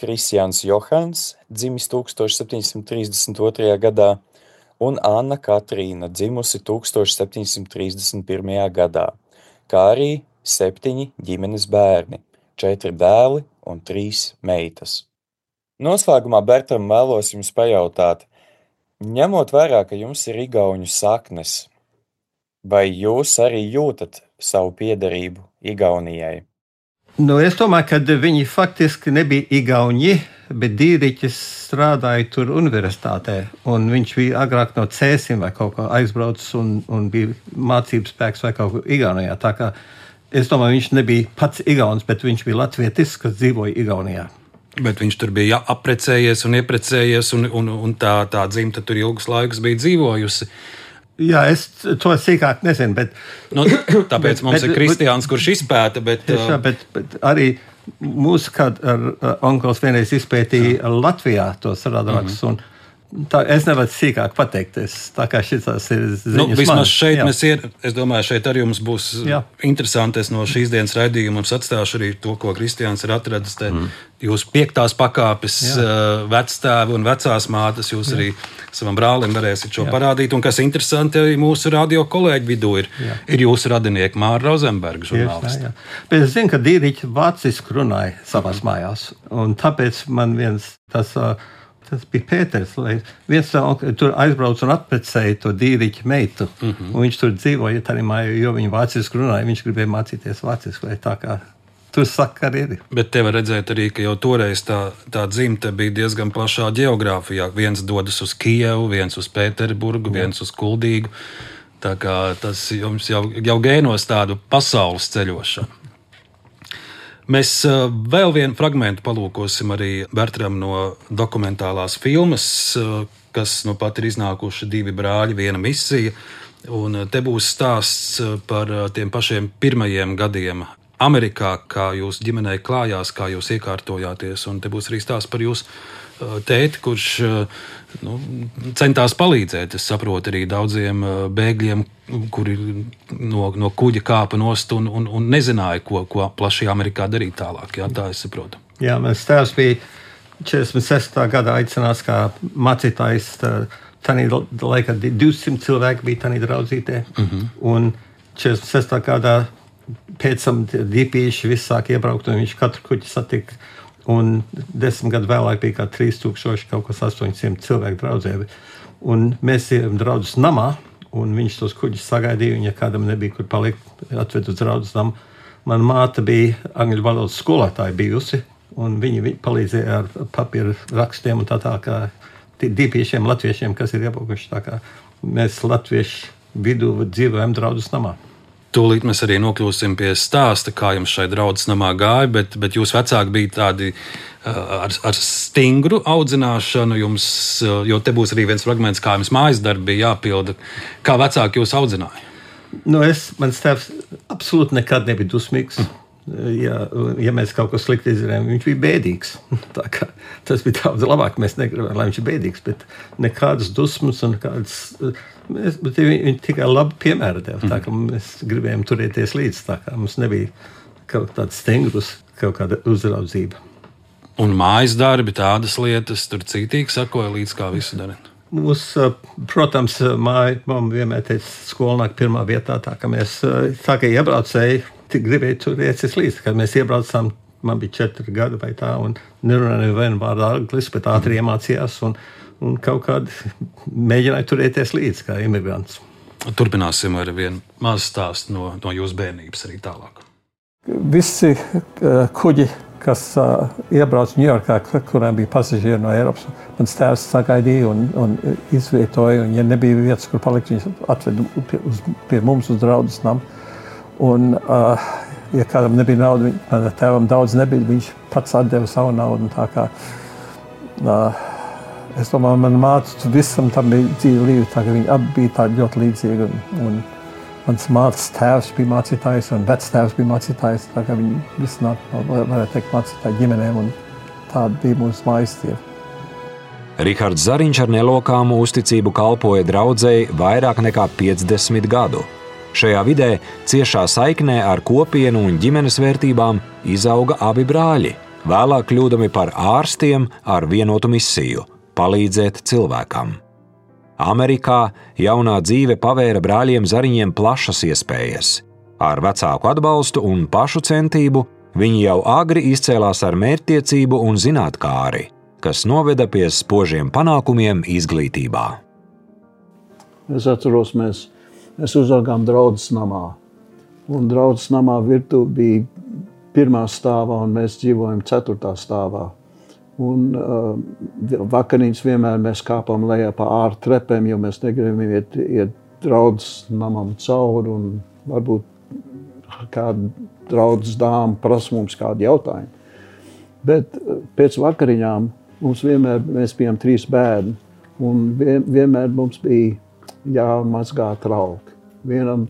Kristiāns Johans, dzimis 1732. gadā, un Anna Katrīna, dzimusi 1731. gadā, kā arī 7 ģimenes bērni, 4 dēli un 3 meitas. Noslēgumā, Bertram, vēlos jums pajautāt, ņemot vērā, ka jums ir igauņu saknes, vai jūs arī jūtat savu piederību Igaunijai? Es domāju, ka viņi faktiski nebija igauņi, bet Dīriķis strādāja tur universitātē, un viņš bija agrāk no Cēsim vai kaut kā aizbraucis un bija mācības spēks vai kaut ko Igaunijā. Tā kā es domāju, viņš nebija pats igauns, bet viņš bija latvietis, kas dzīvoja Igaunijā. Bet viņš tur bija apprecējies un ieprecējies, un tā dzimta tur ilgus laikus bija dzīvojusi. Jā, es to sīkāk nezinu, bet... Tāpēc mums ir Kristiāns, kurš izpēta, bet... Tiešā, bet arī mūsu kād onkls vienreiz izpētīja Latvijā tos radarakstus, un tā, es nevaru sīkāk pateikties, tā kā šis ir ziņas vismaz man. Šeit mēs es domāju, šeit arī jums būs interesanti. Es no šīs dienas raidījuma jums atstāšu arī to, ko Kristiāns ir atradis. Jūs 5. pakāpes vectēvi un vecās mātes, jūs arī savam brālim varēsiet šo parādīt. Un kas interesanti, arī mūsu radio kolēģi vidū ir jūsu radinieki Māra Rozenberga žurnālisti. Bet es zinu, ka Dīriķi vāciski runāja savās mājās, un tāpēc man viens tas bija Pēters, viens tur aizbrauc un atprecēja to Dīriķa meitu, un viņš tur dzīvoja tā arī mājā, jo viņi vāciski runāja, viņš gribēja mācīties vāciski, vai tā kā tur sakari ir. Bet te var redzēt arī, ka jau toreiz tā dzimte bija diezgan plašā ģeogrāfijā. Viens dodas uz Kijevu, viens uz Pēterburgu, viens uz Kuldīgu. Tā kā tas jums jau gēnos tādu pasaules ceļošanu. Mēs vēl vienu fragmentu palūkosim arī Bertram no dokumentālās filmas, kas nu pat ir iznākuši 2 brāļi, 1 misija. Un te būs stāsts par tiem pašiem pirmajiem gadiem Amerikā, kā jūsu ģimenei klājās, kā jūs iekārtojāties. Un te būs arī stāsts par jūsu tēti, kurš centās palīdzēt. Es saprotu arī daudziem bēgļiem, kuri no kuģa kāpa nost un nezināja, ko plaši Amerikā darīt tālāk. Jā, tā es saprotu. Jā, mans tēvs bija 46. gadā aicināts kā mācītājs. Tanī laikā 200 cilvēki bija tanī draudzītē. Un 46. gadā pēc tam dīpīši viss sāk iebraukt, un viņš katru kuģi satika. Un 10 gadu vēlāk bija kā 3000, kaut kas 800 cilvēku draudzē. Un mēs ejam draudzes namā, un viņš tos kuģus sagaidīja, un ja kādam nebija, kur palikt, atved uz draudzes namu. Mana māte bija angļu valodas skolotāja bijusi, un viņi palīdzēja ar papīru rakstiem un tā kā dīpiešiem latviešiem, kas ir iebraukuši. Tā kā mēs latviešu vidū dzīvojam draudzes namā. Tūlīt mēs arī nokļūsim pie stāsta, kā jums šai draudzes namā gāja, bet jūs vecāki bija tādi ar stingru audzināšanu jums, jo te būs arī viens fragments, kā jums mājas darbi bija jāpilda. Kā vecāki jūs audzināja? Mans tēvs absolūti nekad nebija dusmīgs. Ja mēs kaut ko slikti izdarījām, viņš bija bēdīgs. Tā kā tas bija daudz labāk, mēs negribējām, lai viņš ir bēdīgs, bet nekādas dusmas un nekādas... Bet viņi tikai labi piemēra deva, tā kā mēs gribējām turēties līdz, tā kā mums nebija kaut tāds stengrus, kaut kāda uzraudzība. Un mājas darbi, tādas lietas, tur cītīgi sakoja līdz kā visu darīt? Protams, mamma vienmēr teica, skolnāk pirmā vietā, tā kā mēs, tā kā iebraucēji, gribēja turēties līdz, kad mēs iebraucām, man bija 4 gadi vai tā, un nerunāja nevienu vārdu anglis, bet ātri iemācījās, un kaut kādi mēģināja turēties līdz kā imigrants. Turpināsim ar vienu mazu stāstu no jūsu bērnības arī tālāk. Visi kuģi, kas iebrauc Ņujorkā, kurām bija pasažieri no Eiropas, mans tēvs sagaidīja un izvietoja, un ja nebija vietas, kur palikt, viņš atveda pie mums uz draudzes namu. Un, ja kādam nebija nauda, manam tēvam daudz nebija, viņš pats atdeva savu naudu. Tā kā, es domāju, mana māte visam tam bija dzīve līdzi, tā ka viņi abi bija tādi ļoti līdzīgi. Un mans mātes tēvs bija mācītājs un vectēvs bija mācītājs, tā kā viņi visi varētu teikt mācītāji ģimenēm, un tāda bija mūsu mājas dzīve. Rihards Zariņš ar nelokāmu uzticību kalpoja draudzei vairāk nekā 50 gadu. Šajā vidē ciešā saiknē ar kopienu un ģimenes vērtībām izauga abi brāļi, vēlāk kļūdami par ārstiem ar vienotu misiju – palīdzēt cilvēkam. Amerikā jaunā dzīve pavēra brāļiem Zariņiem plašas iespējas. Ar vecāku atbalstu un pašu centību viņi jau agri izcēlās ar mērķtiecību un zinātkāri, kas noveda pie spožiem panākumiem izglītībā. Es atceros, mēs uzaugām draudzes namā. Un draudzes namā virtuve bija 1. stāvā, un mēs dzīvojam 4. stāvā. Un vakariņas vienmēr mēs kāpām lejā pa ārā trepēm, jo mēs negribējām iet draudzes namam cauri, un varbūt kāda draudzes dāma prasa mums kādu jautājumu. Bet pēc vakariņām mēs bijām 3 bērni, un vienmēr mums bija jāmazgā trauki. Vienam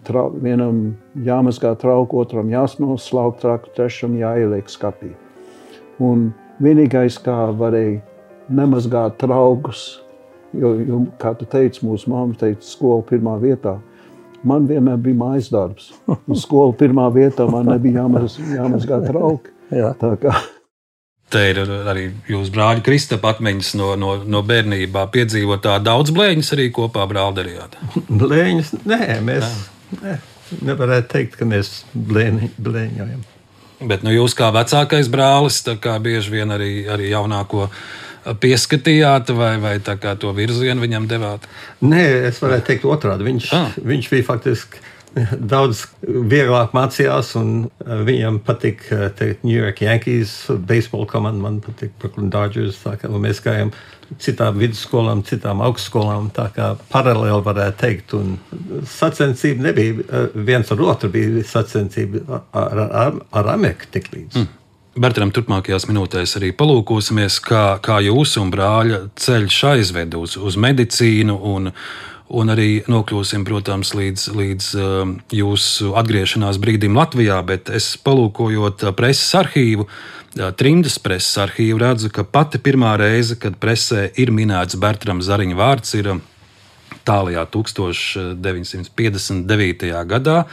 jāmazgā trauki, otram jāsnoslaukt trauku, trešam jāieliek skapī. Un vienīgais, kā varēja nemazgāt traukus, jo, kā tu teici, mūsu mamma teica, skola 1. vietā. Man vienmēr bija mājas darbs. Un skola 1. vietā man nebija jāmazgā trauki. Tā kā... Te ir arī jūsu brāļa Kristapa atmiņas no bērnībā piedzīvotā. Daudz blēņas arī kopā brāli darījāt? Blēņas? Nē, mēs nevarētu teikt, ka mēs blēņojam. Bet jūs kā vecākais brālis, tā kā bieži vien arī jaunāko pieskatījāt vai tā kā to virzienu viņam devāt? Nē, es varētu teikt otrādi. Viņš bija faktiski daudz vieglāk mācījās, un viņam patīk New York Yankees, baseball komanda, man patīk Brooklyn Dodgers. Tā kā mēs gājām citām vidusskolām, citām augstskolām, tā kā paralēli varētu teikt. Un sacensība nebija viens ar otru, bija sacensība ar Ameriku tik līdz. Bertram, turpmākajās minūtēs arī palūkosimies, kā jūsu un brāļa ceļš aizved uz medicīnu un arī nokļūsim, protams, līdz jūsu atgriešanās brīdim Latvijā, bet es palūkojot preses arhīvu, Trimdas preses arhīvu, redzu, ka pati pirmā reize, kad presē ir minēts Bertrama Zariņa vārds, ir tālajā 1959. gadā.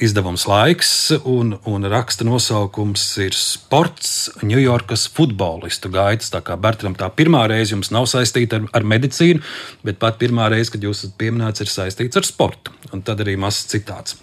Izdevums Laiks un raksta nosaukums ir Sports Ņujorkas futbolistu gaitas. Tā kā Bertram tā pirmā reize jums nav saistīta ar medicīnu, bet pat pirmā reize, kad jūs esat pieminēts, ir saistīts ar sportu. Un tad arī mazs citāts.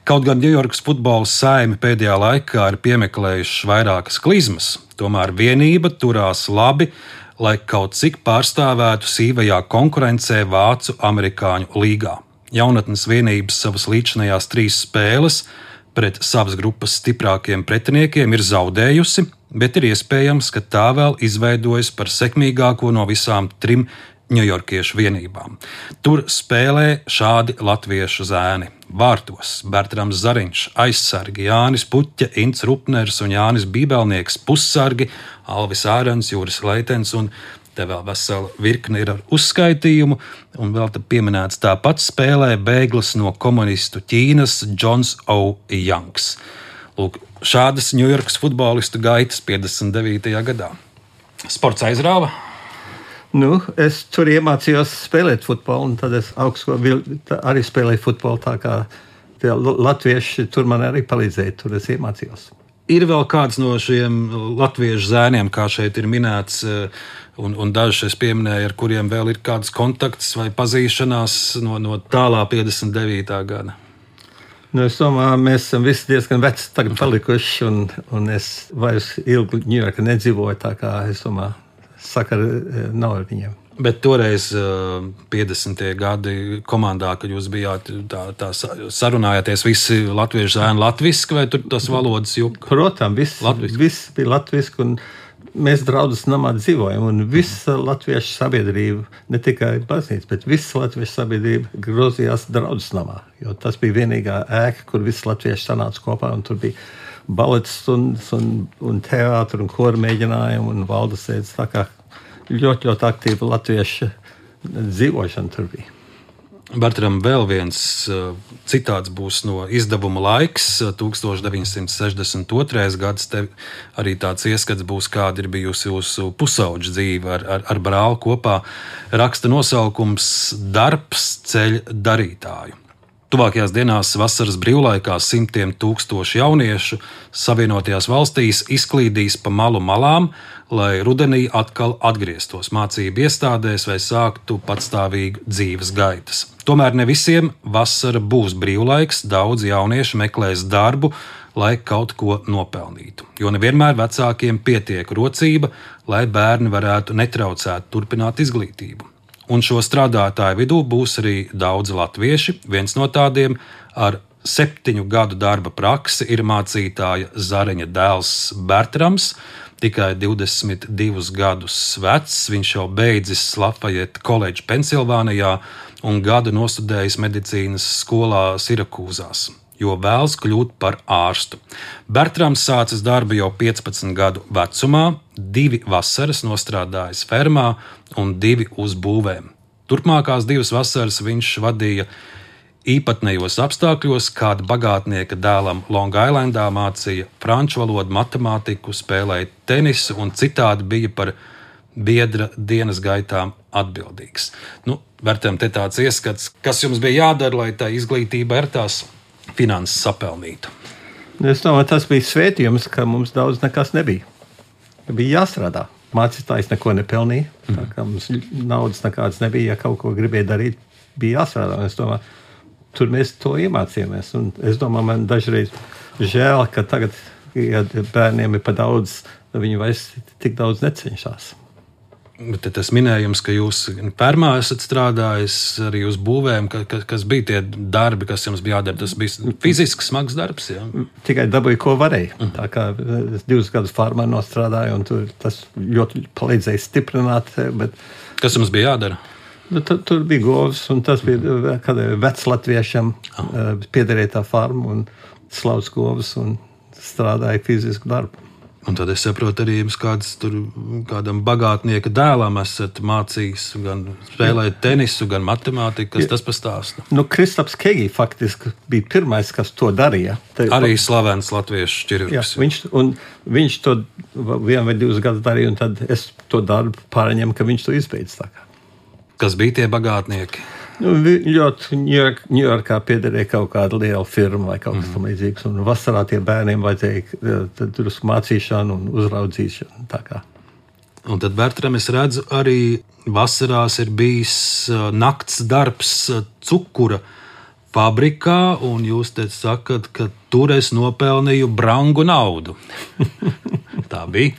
Kaut gan Ņujorkas futbola saimi pēdējā laikā ir piemeklējuši vairākas klizmas, tomēr vienība turās labi, lai kaut cik pārstāvētu sīvajā konkurencē vācu amerikāņu līgā. Jaunatnes vienības savas līdzinājās 3 spēles pret savas grupas stiprākiem pretiniekiem ir zaudējusi, bet ir iespējams, ka tā vēl izveidojas par sekmīgāko no visām 3 ņujorkiešu vienībām. Tur spēlē šādi latviešu zēni. Vārtos Bertrams Zariņš, aizsargi Jānis Puķa, Ints Rupners un Jānis Bībelnieks, pussargi Alvis Ārens, Jūris Leitens un te vēl vesela virkne ir ar uzskaitījumu, un vēl te pieminēts tāpat spēlē bēglis no komunistu Ķīnas Džons O. Janks. Lūk, šādas Ņujorkas futbolistu gaitas 59. gadā. Sports aizrāva? Es tur iemācījos spēlēt futbolu, un tad es arī spēlēju futbolu, tā kā tie latvieši tur man arī palīdzēja, tur es iemācījos. Ir vēl kāds no šiem latviešu zēniem, kā šeit ir minēts, un dažus es pieminēju, ar kuriem vēl ir kāds kontakts vai pazīšanās no tālā 59. gada? Es domāju, mēs esam visi diezgan veci tagad palikuši, un es vairs ilgi Ņujorkā nedzīvoju, tā kā es domāju, sakari nav ar viņiem. Bet toreiz 50. gadi komandā, kad jūs bijāt tā sarunājāties visi latviešu zēni latviski, vai tur tas valodas juk? Protams, viss bija latviski, un mēs draudzes namā dzīvojam, un visa latviešu sabiedrība, ne tikai baznīca, bet visa latviešu sabiedrība grozījās draudzes namā, jo tas bija vienīgā ēka, kur visi latvieši sanāca kopā, un tur bija balets un teātri un kora mēģinājumi un valdes sēdes, tā kā ļoti aktīva latviešu dzīvošana tur bija. Bertram, vēl viens citāts būs no izdevuma Laiks, 1962. gads. Te arī tāds ieskats būs, kāda ir bijusi jūsu pusauģa dzīve ar brāli kopā. Raksta nosaukums Darbs ceļ darītāju. Tuvākajās dienās vasaras brīvlaikā simtiem tūkstoši jauniešu Savienotajās valstīs izklīdīs pa malu malām, lai rudenī atkal atgrieztos mācību iestādēs vai sāktu patstāvīgu dzīves gaitas. Tomēr ne visiem vasara būs brīvlaiks, daudz jauniešu meklēs darbu, lai kaut ko nopelnītu, jo nevienmēr vecākiem pietiek rocība, lai bērni varētu netraucēt turpināt izglītību. Un šo strādātāju vidū būs arī daudzi latvieši. Viens no tādiem ar 7 gadu darba praksi ir mācītāja Zariņa dēls Bertrams, tikai 22 gadus vecs. Viņš jau beidzis Lafayette College Pensilvānijā un gadu nostudējis medicīnas skolā Sirakūzās, jo vēlas kļūt par ārstu. Bertrams sācis darbu jau 15 gadu vecumā, 2 vasaras nostrādājis fermā un 2 uz būvēm. Turpmākās 2 vasaras viņš vadīja īpatnējos apstākļos, kāda bagātnieka dēlam Long Islandā mācīja franču valodu, matemātiku, spēlēja tenisu un citādi bija par biedra dienas gaitām atbildīgs. Bertram, te tāds ieskats, kas jums bija jādara, lai tā izglītība ar tās finanses sapelnītu? Es domāju, tas bija svētījums, ka mums daudz nekas nebija. Bija jāstrādā. Mācītājs neko nepelnīja. Tā kā mums naudas nekādas nebija, ja kaut ko gribēja darīt, bija jāstrādā. Es domāju, tur mēs to iemācījāmies. Un es domāju, man dažreiz žēl, ka tagad, ja bērniem ir pa daudz, viņi vairs tik daudz necenšas. Bet tas minējums, ka jūs fermā esat strādājis arī uz būvēm, kas bija tie darbi, kas jums bija jādara, tas bija fizisks smags darbs, jā? Tikai dabūju, ko varēja. Tā kā es 2 gadus farmā nostrādāju, un tas ļoti palīdzēja stiprināt. Bet... Kas jums bija jādara? Tur bija govs, un tas bija vecs latviešam piederēja tā farma, un slavs govs, un strādāja fizisku darbu. Un tad es saprotu, arī jums kādam bagātnieka dēlam esat mācījis gan spēlēt tenisu, gan matemātiku, kas tas pastāsta. Kristaps Kegi faktiski bija pirmais, kas to darīja. Arī slavens latviešu ķirurgs. Viņš to 1 vai 2 gadus darīja, un tad es to darbu pārņemu, ka viņš to izbeidz. Kas bija tie bagātnieki? Ļoti Ņujorkā piederēja kaut kāda liela firma vai kaut kas tam līdzīgs. Un vasarā tie bērniem vajadzēja drusku mācīšanu un uzraudzīšanu. Un tad, Bertram, es redzu, arī vasarās ir bijis nakts darbs cukura fabrikā, un jūs te sakat, ka tur es nopelnīju brangu naudu. Tā bija.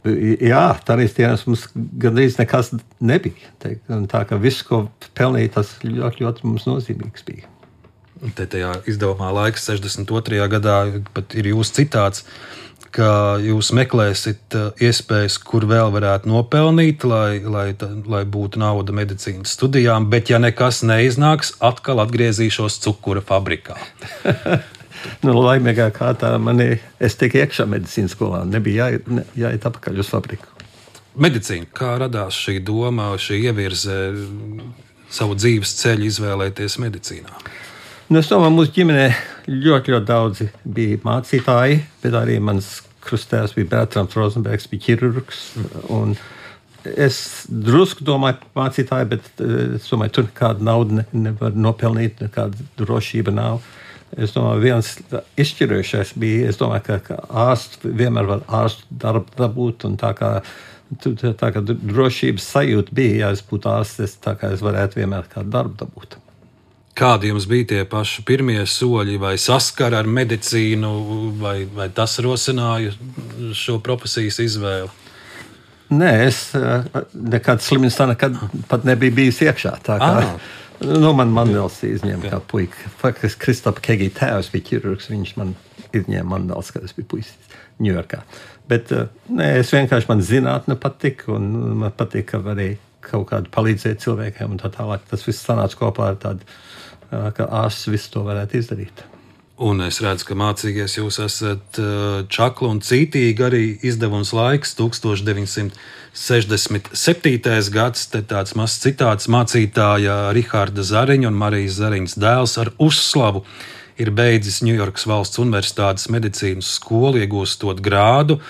Jā, tādīs dienās mums gandrīz nekas nebija. Tā kā viss, ko pelnīja, tas ļoti mums nozīmīgs bija. Te tajā izdevumā Laiks 62. gadā pat ir jūsu citāts, ka jūs meklēsiet iespējas, kur vēl varētu nopelnīt, lai būtu nauda medicīnas studijām, bet ja nekas neiznāks, atkal atgriezīšos cukura fabrikā. Laimīgā kārtā es tiku iekšā medicīnas skolā, nebija jāiet apakaļ uz fabriku. Medicīna, kā radās šī doma, šī ievirze savu dzīves ceļu izvēlēties medicīnā? Es domāju, mūsu ģimenē ļoti daudzi bija mācītāji, bet arī mans krustēvs bija Bertrams Rozenbergs, bija ķirurgs. Un es drusku domāju mācītāji, bet es domāju, tur nekāda nauda nevar nopelnīt, nekāda drošība nav. Es domāju, viens izšķirošais bija, es domāju, ka ārsts vienmēr var ārstu darbu dabūt, un tā kā drošības sajūta bija, ja es būtu ārsts, tā kā es varētu vienmēr kādu darbu dabūt. Kādi jums bija tie paši pirmie soļi, vai saskara ar medicīnu, vai tas rosināja šo profesijas izvēli? Nē, es nekāds slimnīcā nekad pat nebija bijis iekšā. Man Mandels izņēma kā puika. Faktiski Kristapa Kegi tēvs bija ķirurgs, viņš man izņēma Mandels, kad es biju puisis Ņujorkā. Bet es vienkārši man zinātne patika, un man patika, ka varēja kaut kādu palīdzēt cilvēkiem, un tā tālāk. Tas viss sanāca kopā ar tādu, ka ārsts visu to varētu izdarīt. Un es redzu, ka mācīgies jūs esat čakli un cītīgi, arī izdevums Laiks 1967. gads, te tāds mazs citāts, mācītāja Riharda Zariņa un Marijas Zariņas dēls ar uzslavu ir beidzis Ņujorkas valsts universitātes medicīnas skolu, iegūstot grādu.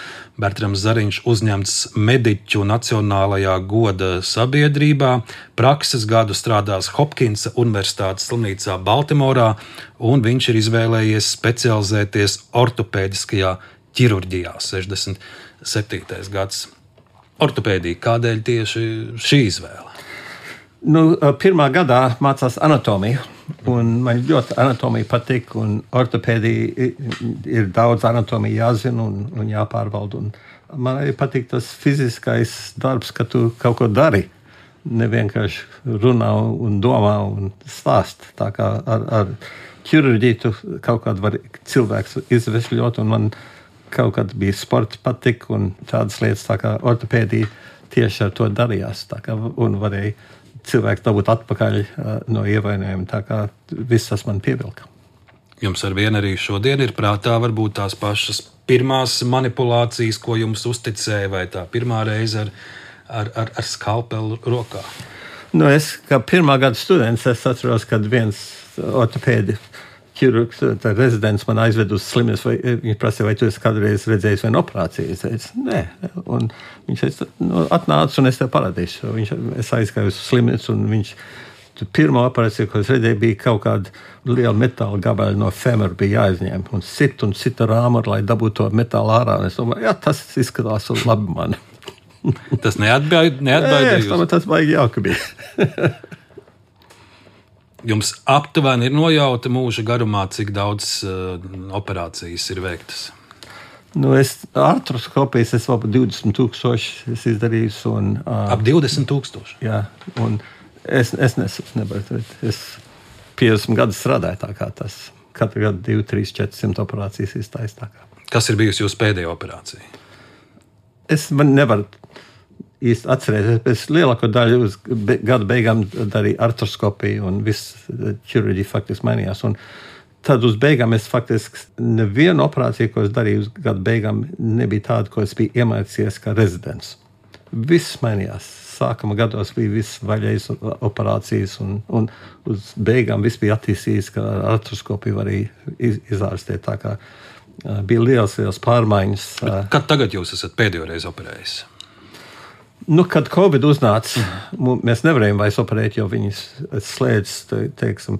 Bertrams Zariņš uzņemts mediķu Nacionālajā goda sabiedrībā, prakses gadu strādās Hopkinsa Universitātes slimnīcā Baltimorā, un viņš ir izvēlējies specializēties ortopēdiskajā ķirurģijā 67. gads. Ortopēdija, kādēļ tieši šī izvēle? Pirmā gadā mācās anatomiju, un man ļoti anatomija patīk, un ortopēdija ir daudz anatomija jāzina un jāpārvalda. Un man arī patīk tas fiziskais darbs, ka tu kaut ko dari, ne vienkārši runā un domā un stāst. Tā kā ar ķirurģiju tu kaut kādu var cilvēks izvešļot, un man kaut kad bija sports patīk un tādas lietas, tā kā ortopēdija tieši ar to darījās, tā kā un varēja cilvēks dabūt atpakaļ no ievainojuma, tā kā viss tas man pievilka. Jums ar vienu arī šodien ir prātā varbūt tās pašas pirmās manipulācijas, ko jums uzticēja, vai tā pirmā reize ar skalpelu rokā? Es kā pirmā gada students, es atceros, kad viens ortopēdi ķirurgs, rezidents man aizved uz slimnīcu, viņš prasīja, vai tu esi kādreiz redzējis vienu operāciju? Es teicu, nē. Un viņš teica, atnāc un es tev parādīšu. Es aizgāju uz slimnīcu un viņš, pirmā operācija, ko es redzēju, bija kaut kāda liela metāla gabala no femora bija jāizņem. Un cita rāmuru, lai dabūtu to metālu ārā. Un es domāju, jā, tas izskatās labi man. Tas neatbaidīja jūs? Tas baigi jauka bija. Jums aptuveni ir nojauta mūža garumā, cik daudz operācijas ir veiktas? Artroskopijas es vēl 20,000 izdarījis. Ap 20,000? Jā, un es nevaru. Es 50 gadus strādāju tā kā tas. Katru gadu 2, 3, 400 operācijas iztais tā kā. Kas ir bijusi jūsu pēdējā operācija? Man nevaru īsti atcerēties, bet lielāko daļu uz gada beigām darīja artroskopiju un viss ķirurģija faktiski mainījās. Un tad uz beigām es faktiski nevienu operāciju, ko es darīju uz gadu beigām, nebija tāda, ko es biju iemācījies kā rezidents. Viss mainījās. Sākuma gados bija viss vaļējas operācijas, un uz beigām viss bija attīstīts, ka ar artroskopiju varēja izārstēt. Tā kā bija liels pārmaiņas. Kad tagad jūs esat pēdējo reizi operējis? Kad Covid uznāca, mēs nevarējām vairs operēt, jo viņi slēdz, teiksim,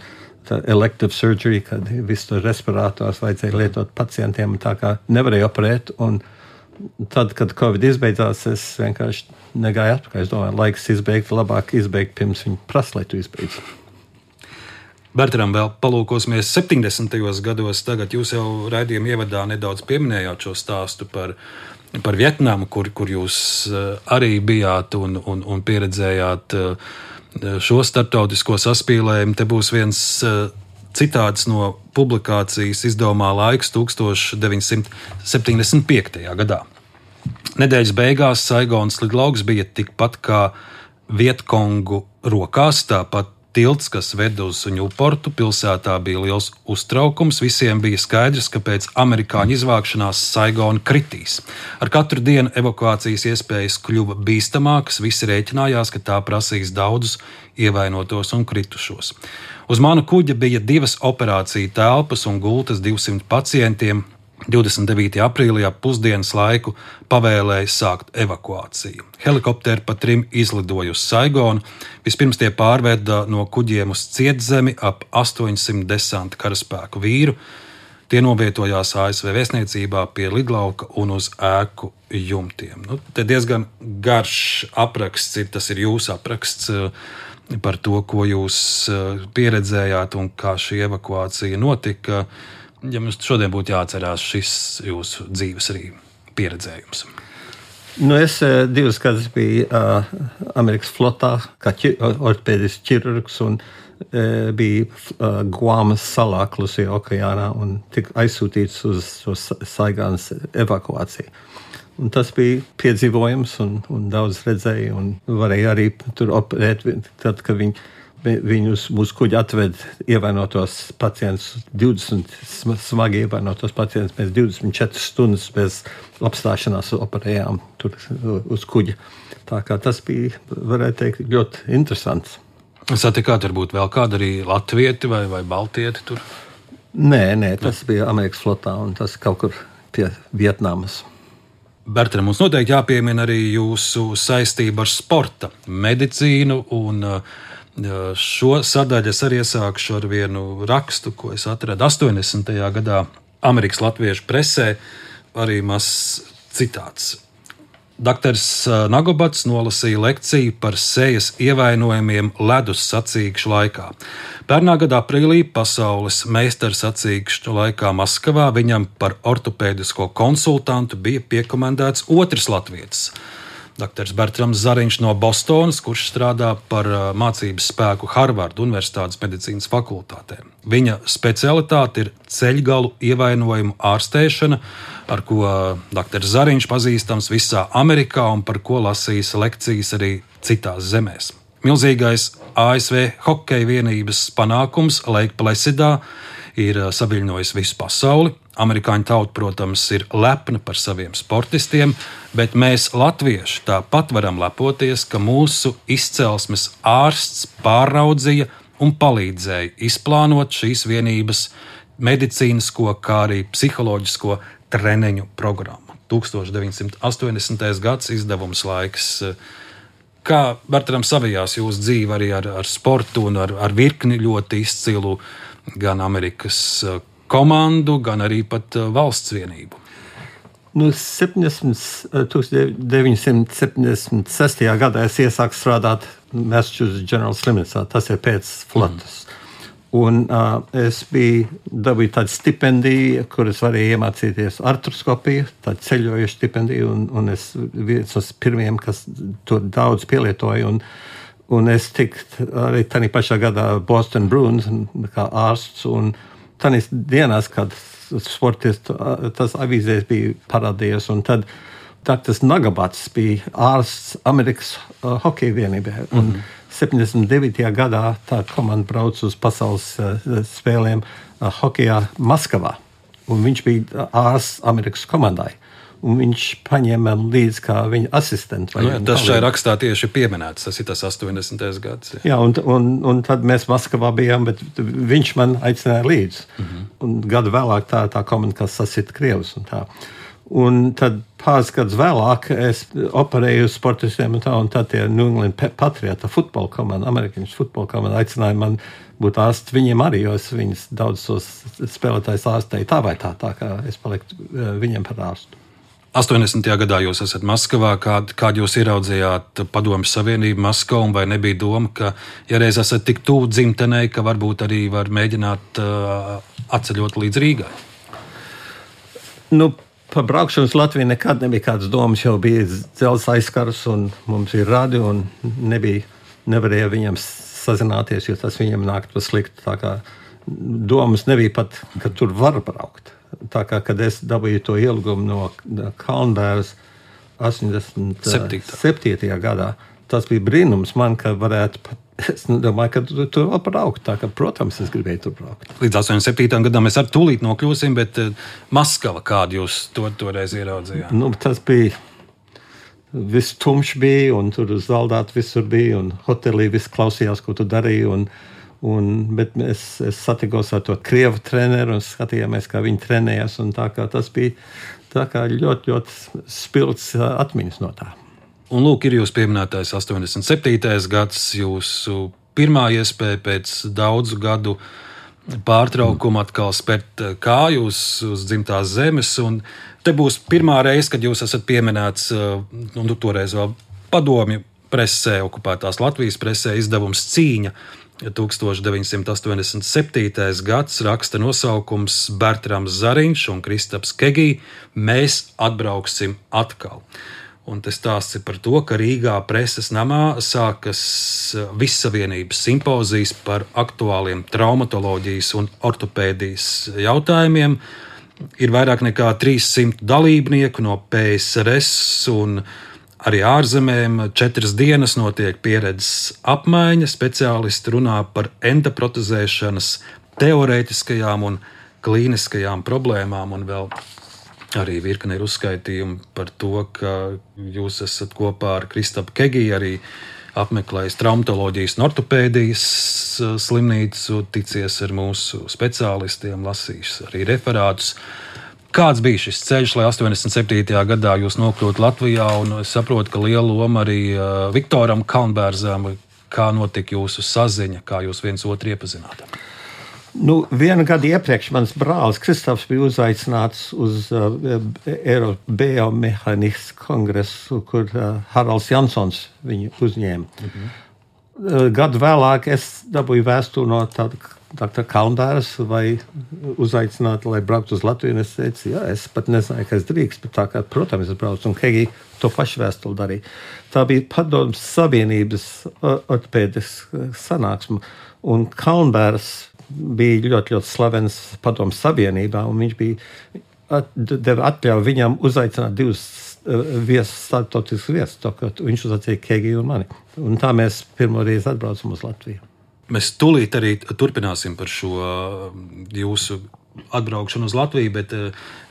elective surgery, kad visu respirators vajadzēja lietot pacientiem, tā kā nevarēja operēt. Un tad, kad Covid izbeidzās, es vienkārši negāju atpakaļ. Es domāju, laiks izbeigt, labāk izbeigt, pirms viņi prasa, lai tu izbeidz. Bertram, vēl palūkosimies 70. gados. Tagad jūs jau raidījuma ievadā nedaudz pieminējāt šo stāstu par Vietnamu, kur jūs arī bijāt un pieredzējāt šo starptautisko saspīlējumu. Te būs viens citāts no publikācijas izdevumā Laiks 1975. gadā. Nedēļas beigās Saigonas lidlauks bija tikpat kā Vietkongu rokās, tāpat tilts, kas ved uz Ņūportu pilsētā, bija liels uztraukums. Visiem bija skaidrs, ka pēc amerikāņu izvākšanās Saigona kritīs. Ar katru dienu evakuācijas iespējas kļuva bīstamākas. Visi rēķinājās, ka tā prasīs daudzus ievainotos un kritušos. Uz mana kuģa bija 2 operāciju telpas un gultas 200 pacientiem. 29. aprīlī ap pusdienas laiku pavēlēja sākt evakuāciju. Helikopteri pa 3 izlidoja uz Saigonu. Vispirms tie pārveda no kuģiem uz Cietzemi ap 800 desanta karaspēku vīru. Tie novietojās ASV vēstniecībā pie lidlauka un uz ēku jumtiem. Te diezgan garš apraksts ir, tas ir jūsu apraksts par to, ko jūs pieredzējāt un kā šī evakuācija notika. Ja mums šodien būtu jāatcerās šis jūsu dzīves arī pieredzējums. Es 2 gadus biju Amerikas flotā, kā ortopēdisks ķirurgs, un biju Guamas salā Klusajā okeānā un tika aizsūtīts uz Saigonas evakuāciju. Un tas bija piedzīvojums un daudz redzēju, un varēja arī tur operēt, tad, kad viņi uz mūsu kuģi atved ievainotos pacientus, 20 smagi ievainotos pacientus. Mēs 24 stundas bez apstāšanās operējām tur uz kuģa. Tā kā tas bija, varētu teikt, ļoti interesants. Satikāt varbūt vēl kādu arī latvieti vai baltieti tur? Nē, tas bija Amerikas flotā un tas kaut kur pie Vietnamas. Bertram, mums noteikti jāpiemina arī jūsu saistība ar sporta medicīnu un šo sadaļu es arī iesākšu ar vienu rakstu, ko es atradu 80. gadā Amerikas latviešu presē, arī mazs citāts. Doktors Nagobats nolasīja lekciju par sejas ievainojumiem ledus sacīkšu laikā. Pērnā gada aprīlī pasaules meistars sacīkšu laikā Maskavā viņam par ortopēdisko konsultantu bija piekomendēts otrs latvietis. Doktors Bertrams Zariņš no Bostonas, kurš strādā par mācības spēku Harvardu Universitātes medicīnas fakultātē. Viņa specialitāte ir ceļgalu ievainojumu ārstēšana, ar ko doktors Zariņš pazīstams visā Amerikā un par ko lasījis lekcijas arī citās zemēs. Milzīgais ASV hokeja vienības panākums Lake Placidā ir saviļņojis visu pasauli. Amerikāņu tauta, protams, ir lepna par saviem sportistiem, bet mēs, latvieši, tāpat varam lepoties, ka mūsu izcelsmes ārsts pārraudzīja un palīdzēja izplānot šīs vienības medicīnisko, kā arī psiholoģisko treniņu programmu. 1980. gads izdevums Laiks. Kā, Bertram, savijās jūsu dzīve arī ar sportu un ar virkni ļoti izcilu gan Amerikas komandu, gan arī pat valsts vienību? 1976. gadā es iesāku strādāt Massachusetts General Slimnīcā, tas ir pēc flotas. Un es dabūju tādu stipendiju, kur es varēju iemācīties artroskopiju, tādu ceļojušu stipendiju, un es viens no pirmiem, kas to daudz pielietoju, un es tiku arī tādā pašā gadā Boston Bruins kā ārsts, un tādās dienās, kad sportists, tas avīzēs bija parādījies, un tad doktors Nagabats bija ārsts Amerikas hokeja vienībā. 79. gadā tā komanda brauc uz pasaules spēlēm hokejā Maskavā. Un viņš bija ārsts Amerikas komandai. Un viņš paņēma līdzi kā viņa asistentu. Tas šajā rakstā tieši pieminēts, tas ir tas 80. gads. Jā, un tad mēs Maskavā bijām, bet viņš man aicināja līdzi. Un gadu vēlāk tā komanda, kas sasita Krievus un tā. Un tad pāris gadus vēlāk es operēju uz sportistiem un tad tie New England Patriota futbola komanda, amerikāņu futbola komanda aicināja man būt ārsts viņiem arī, jo es viņus daudz tos spēlētājus ārstēju tā vai tā kā es paliku viņiem par ārstu. 80. gadā jūs esat Maskavā, kādu jūs ieraudzījāt Padomju Savienību Maskavu, vai nebija doma, ka, ja reiz esat tik tuvu dzimtenei, ka varbūt arī var mēģināt atceļot līdz Rīgai? Par braukšanu uz Latviju nekad nebija kādas domas, jau bija dzelzs aizkars un mums ir radio un nevarēja viņam sazināties, jo tas viņam nākt par sliktu. Tā kā domas nebija pat, ka tur var braukt. Tā kā, kad es dabūju to ielūgumu no Kalnbēras 87. gadā, tas bija brīnums man, ka varētu pat, es domāju, ka tur var braukt. Tā kā, protams, es gribēju tur braukt. Līdz 87. gadam mēs ar tūlīt nokļūsim, bet Maskava, kādu jūs toreiz ieraudzījāt? Tas bija, viss tumšs bija, un tur uz zaldātu visur bija, un hotelī viss klausījās, ko tu darīji, bet es satikos ar to Krievu treneru un skatījāmies, kā viņi trenējās. Tā kā tas bija tā kā ļoti, ļoti spilgts atmiņas no tā. Un lūk, ir jūs pieminētais 87. gads, jūsu pirmā iespēja pēc daudzu gadu pārtraukuma atkal spērt kāju uz dzimtās zemes. Un te būs pirmā reize, kad jūs esat pieminēts, toreiz vēl padomju presē, okupētās Latvijas presē, izdevums Cīņa. 1987. gads, raksta nosaukums Bertrams Zariņš un Kristaps Kegī Mēs atbrauksim atkal. Un tas stāsts ir par to, ka Rīgā preses namā sākas Vissavienības simpozijas par aktuāliem traumatoloģijas un ortopēdijas jautājumiem. Ir vairāk nekā 300 dalībnieku no PSRS un arī ārzemēm. 4 dienas notiek pieredzes apmaiņa, speciālisti runā par endoprotezēšanas teorētiskajām un klīniskajām problēmām, un vēl arī virkne ir uzskaitījumi par to, ka jūs esat kopā ar Kristapu Kegī arī apmeklējis traumatoloģijas un ortopēdijas slimnīcu, ticies ar mūsu speciālistiem, lasījis arī referātus. Kāds bija šis ceļš, lai 87. gadā jūs nokļūtu Latvijā, un es saprotu, ka liela loma arī Viktoram Kalnbērzam, kā notika jūsu saziņa, kā jūs viens otru iepazināt? Vienu gadu iepriekš mans brālis Kristaps bija uzaicināts uz Eiropas biomehānisku kongresu, kur Haralds Jansons viņu uzņēma. Gadu vēlāk es dabūju vēstuli no Dr. Kalnbēras, vai uzaicināt, lai brauktu uz Latviju. Es teicu, jā, es pat nezināju, ka es drīkst, bet tā kā, protams, es braucu. Un Kegī to pašu vēstuli darīja. Tā bija Padomju Savienības ortopēdas sanāksme. Un Kalnbēras bija ļoti, ļoti slavens Padomju Savienībā, un viņš deva atļauju viņam uzaicināt 2 starptautiskus viesus. Viņš uzaicināja Kegī un mani. Un tā mēs pirmo reizi atbraucam uz Latviju. Mēs tūlīt arī turpināsim par šo jūsu atbraukšanu uz Latviju, bet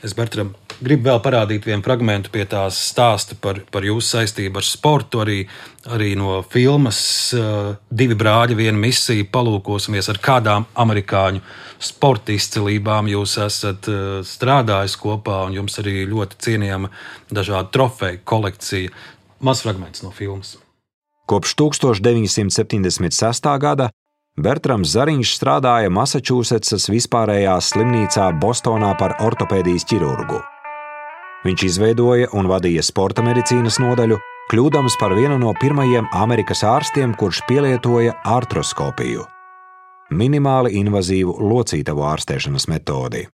es, Bertram, gribu vēl parādīt vienu fragmentu pie tās stāsta par jūsu saistību ar sportu, arī no filmas 2 brāļi, 1 misija. Palūkosimies, ar kādām amerikāņu sporta izcilībām jūs esat strādājis kopā, un jums arī ļoti cienījama dažādu trofeju kolekcija. Mazs fragments no filmas. Kopš 1976. gada Bertrams Zariņš strādāja Masačūsetsas vispārējās slimnīcā Bostonā par ortopēdijas ķirurgu. Viņš izveidoja un vadīja sporta medicīnas nodaļu, kļūdams par vienu no pirmajiem Amerikas ārstiem, kurš pielietoja artroskopiju – minimāli invazīvu locītavu ārstēšanas metodi.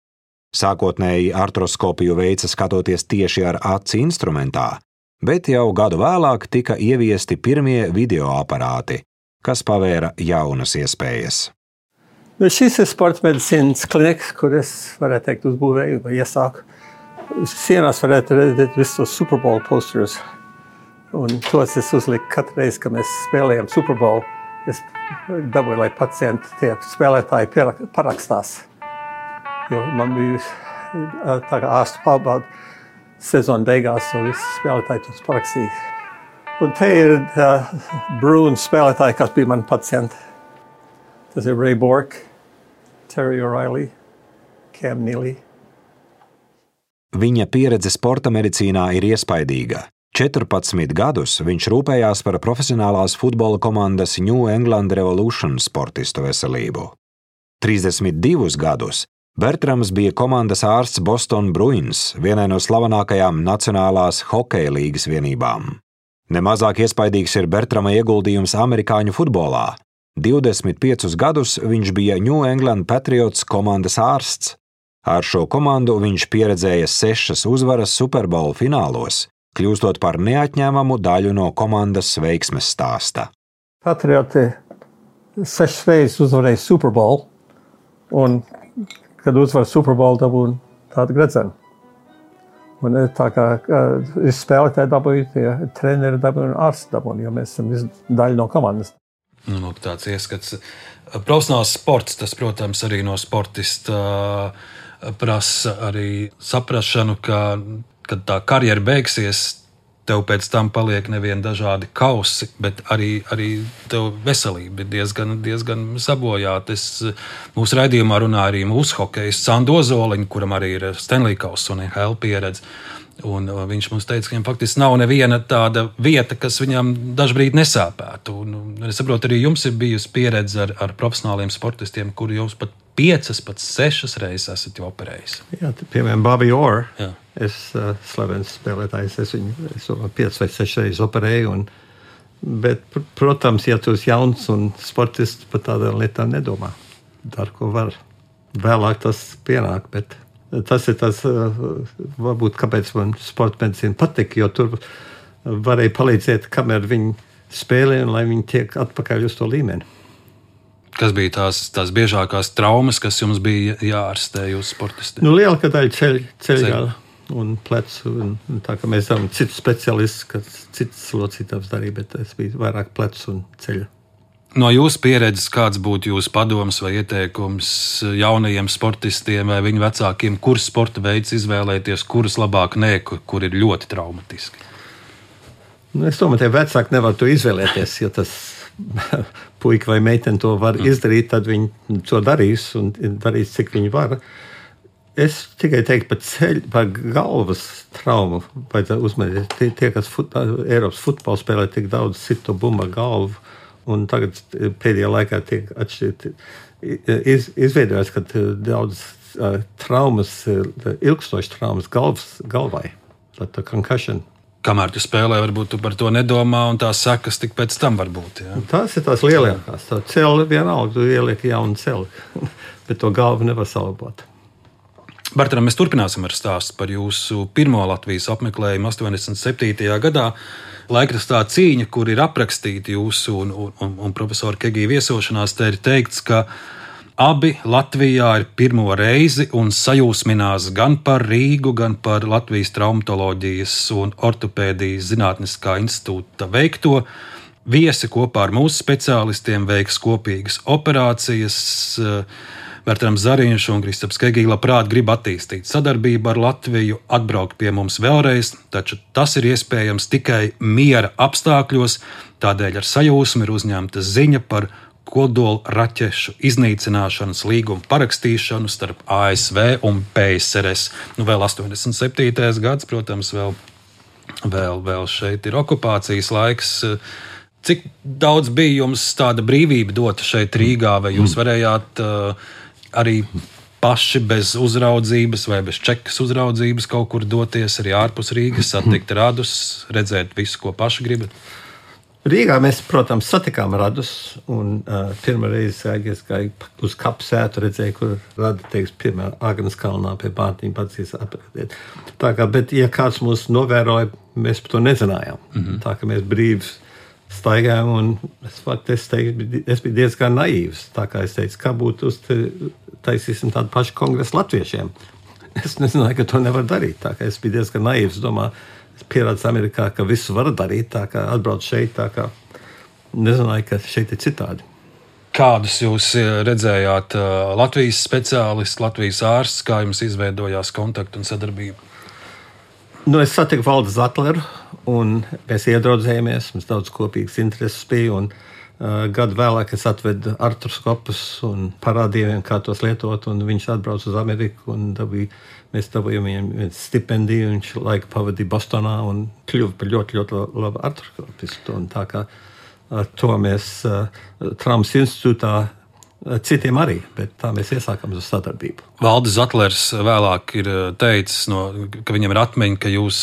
Sākotnēji artroskopiju veica skatoties tieši ar aci instrumentā, bet jau gadu vēlāk tika ieviesti pirmie videoaparāti, kas pavēra jaunas iespējas. Šis ir sporta medicīnas kliniks, kur es varētu teikt uzbūvēju vai iesāku. Sienās varētu redzēt visus tos Super Bowl posterus. Un tos es uzliku katru reizi, kad mēs spēlējam Super Bowl. es dabūju, lai pacienti tie spēlētāji parakstās. Jo man bija tā kā ārstu pārbauda sezona beigās, un visi spēlētāji tos parakstīja. Un te ir Bruins spēlētāji, kas bija mani pacienti. Tas ir Ray Bork, Terry O'Reilly, Cam Neely. Viņa pieredze sporta medicīnā ir iespaidīga. 14 gadus viņš rūpējās par profesionālās futbola komandas New England Revolution sportistu veselību. 32 gadus Bertrams bija komandas ārsts Boston Bruins, vienai no slavenākajām nacionālās hokeja līgas vienībām. Nemazāk iespaidīgs ir Bertrama ieguldījums amerikāņu futbolā. 25 gadus viņš bija New England Patriots komandas ārsts. Ar šo komandu viņš pieredzēja 6 uzvaras Super Bowl finālos, kļūstot par neatņemamu daļu no komandas veiksmes stāsta. Patrioti 6 reizes uzvarēja Super Bowl, un kad uzvar Super Bowl dabūja tādu gredzenu. Un tā kā spēlētāji dabūja, tie treneri dabūja un ārsti dabūja, jo mēs esam daļa no komandas. Nu, tāds ieskats. Profesionāls sports, tas, protams, arī no sportista prasa arī saprašanu, ka, kad tā karjera beigsies, tev pēc tam paliek nevien dažādi kausi, bet arī tev veselība ir diezgan sabojāta. Mūsu raidījumā runā arī mūsu hokejists Sandu Ozoliņu, kuram arī ir Stanley Kauss un NHL pieredze. Un viņš mums teica, ka viņam faktiski nav neviena tāda vieta, kas viņam dažbrīd nesāpētu. Un es saprotu, arī jums ir bijusi pieredze ar profesionāliem sportistiem, kuri jūs pat 5, pat 6 reizes esat jau operējis. Jā, piemēram, Bobby Orr. Jā. Es slavens spēlētājs, es viņu 5 vai 6 reizes operēju. Bet, protams, ja tu esi jauns un sportists, par tādām lietām nedomā. Dar, ko var. Vēlāk tas pienāk, bet tas ir tas, varbūt, kāpēc man sporta medicīna patika, jo tur varēja palīdzēt, kamēr viņi spēlē un lai viņi tiek atpakaļ uz to līmeni. Kas bija tās biežākās traumas, kas jums bija jāārstē jūsu sportistiem? Lielākā daļa ceļgala un plecu. Un tā kā mēs zinām citu speciālistu, kas citas locītājs darīja, bet es biju vairāk plecu un ceļa. No jūsu pieredzes, kāds būtu jūsu padoms vai ieteikums jaunajiem sportistiem vai viņu vecākiem, kurus sporta veids izvēlēties, kurus labāk nē, kur ir ļoti traumatiski? Es domāju, ka vecāki nevar to izvēlēties, ja tas puika vai meitene to var izdarīt, tad viņi to darīs un darīs, cik viņi var. Es tikai teiktu par galvas traumu, vajadzētu uzmanīt. Tie, kas Eiropas futbolu spēlē, tik daudz sit to bumbu galvu. Un tagad pēdējā laikā tiek atšķirti. Izveidojās, ka daudz traumas, ilgstošas traumas galvai. Tā concussion. Kamēr tu spēlē, varbūt tu par to nedomā, un tās sekas tik pēc tam var būt. Ja? Tās ir tās lielākās. Tā celi vienalga, tu ieliek jaunu celi, bet to galvu nevar salabot. Bertram, mēs turpināsim ar stāstu par jūsu pirmo Latvijas apmeklējumu 87. gadā. Laikrakstā Cīņa, kur ir aprakstīti jūsu un profesora Kegija viesošanās, te ir teikts, ka abi Latvijā ir pirmo reizi un sajūsminās gan par Rīgu, gan par Latvijas traumatoloģijas un ortopēdijas zinātniskā institūta veikto. Viesi kopā ar mūsu speciālistiem veiks kopīgas operācijas. Bertrams Zariņš un Kristaps Kegija labprāt grib attīstīt sadarbību ar Latviju, atbraukt pie mums vēlreiz, taču tas ir iespējams tikai miera apstākļos, tādēļ ar sajūsmu ir uzņemta ziņa par kodola raķešu iznīcināšanas līgumu parakstīšanu starp ASV un PSRS. Vēl 87. gads, protams, vēl šeit ir okupācijas laiks. Cik daudz bija jums tāda brīvība dota šeit Rīgā, vai jūs varējāt arī paši bez uzraudzības vai bez čekas uzraudzības kaut kur doties arī ārpus Rīgas, satikt radus, redzēt visu, ko paši gribat? Rīgā mēs, protams, satikām radus, un pirmā reize gāju uz kapsētu, redzēju, kur rada, pirmā Agnes kalnā pie Bārtiņa pacīs apraktiet. Tā kā, bet, ja kāds mūs novēroja, mēs par to nezinājām. Tā kā mēs brīvi staigājām, un es biju diezgan naīvs. Tā kā es teicu, kā būtu taisīsim tādu pašu kongresu latviešiem. Es nezināju, ka to nevar darīt. Tā kā es biju diezgan naīvs, domāju, es pierādzu Amerikā, ka visu var darīt, tā kā atbrauc šeit, tā kā nezināju, ka šeit ir citādi. Kādus jūs redzējāt Latvijas speciālisti, Latvijas ārsts, kā jums izveidojās kontaktu un sadarbība? Es satiku Valdi Zatleru, un mēs iedraudzējāmies, mums daudz kopīgas intereses bija, un gadu vēlāk es atvedu artroskopus un parādīju viņam, kā tos lietot, un viņš atbrauca uz Ameriku, un mēs dabūjām viņam stipendiju, viņš laiku pavadīja Bostonā un kļuva par ļoti, ļoti labu artroskopistu, un tā kā to mēs Traumas institūtā citiem arī, bet tā mēs iesākām uz sadarbību. Valdis Zatlers vēlāk ir teicis, ka viņam ir atmiņa, ka jūs,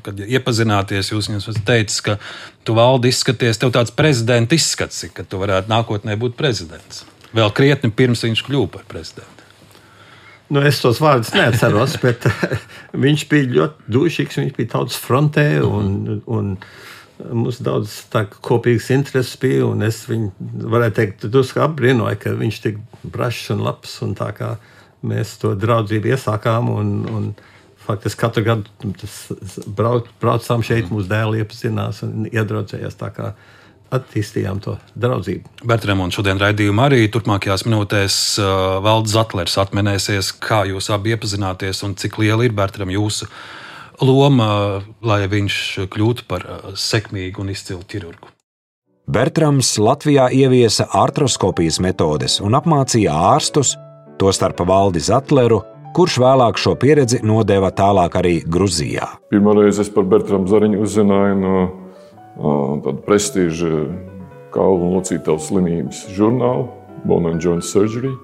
kad iepazināties, jūs viņam esat teicis, ka tu, Valdi, izskaties, tev tāds prezidenta izskats, ka tu varētu nākotnē būt prezidents. Vēl krietni pirms viņš kļuva par prezidentu. Es tos vārdus neatceros, bet viņš bija ļoti dušīgs, viņš bija tautas frontē un mums daudz kopīgas intereses bija, un es viņu, varētu teikt, drusku apbrīnoju, ka viņš tik brašs un labs, un tā kā mēs to draudzību iesākām, un faktiski katru gadu braucām šeit, mūsu dēli iepazinās un iedraudzējās, tā kā attīstījām to draudzību. Bertram, un šodien raidījumā arī turpmākajās minūtēs Valdis Zatlers atminēsies, kā jūs abi iepazināties, un cik liela ir, Bertram, jūsu loma, lai viņš kļūtu par sekmīgu un izcilu ķirurgu. Bertrams Latvijā ieviesa artroskopijas metodes un apmācīja ārstus, tostarp Valdi Zatleru, kurš vēlāk šo pieredzi nodeva tālāk arī Gruzijā. Pirmoreiz es par Bertramu Zariņu uzzināju no tāda prestīža kaulu un locītavu slimības žurnāla Bone and Joint Surgery.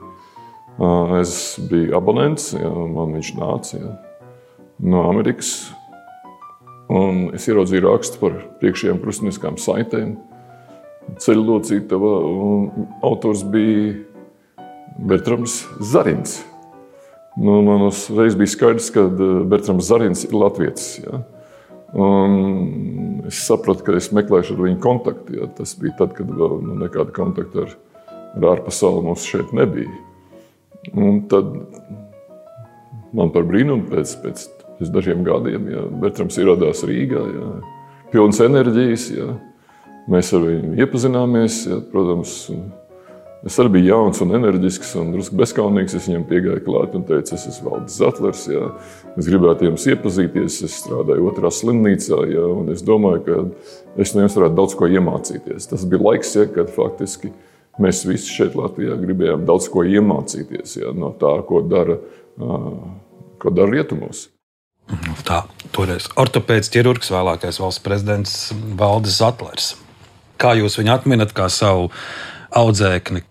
Es biju abonents, man viņš nāca no Amerikas, un es ieraudzīju rakstu par priekšējām krustnieciskām saitēm, ceļu locītava, un autors bija Bertrams Zariņš. Man uzreiz bija skaidrs, ka Bertrams Zariņš ir latvietis. Ja? Un es sapratu, ka es meklēšu ar viņu kontaktu. Ja? Tas bija tad, kad vēl nekāda kontakta ar ārpasauli mums šeit nebija. Un tad man par brīnumu pēc dažiem gadiem, Bertrams ieradās Rīgā, pilns enerģijas, mēs ar viņu iepazināmies, protams, es arī biju jauns un enerģisks un drusku bezkaunīgs, es viņam piegāju klāt un teicu, es esmu Valdis Zatlers, es gribētu jums iepazīties, es strādāju otrā slimnīcā, un es domāju, ka es no jums varētu daudz ko iemācīties. Tas bija laiks, kad faktiski mēs visi šeit Latvijā gribējām daudz ko iemācīties, no tā, ko dara rietumos. Tā, toreiz ortopēds ķirurgs, vēlākais valsts prezidents Valdis Zatlers. Kā jūs viņu atminat kā savu audzēkni?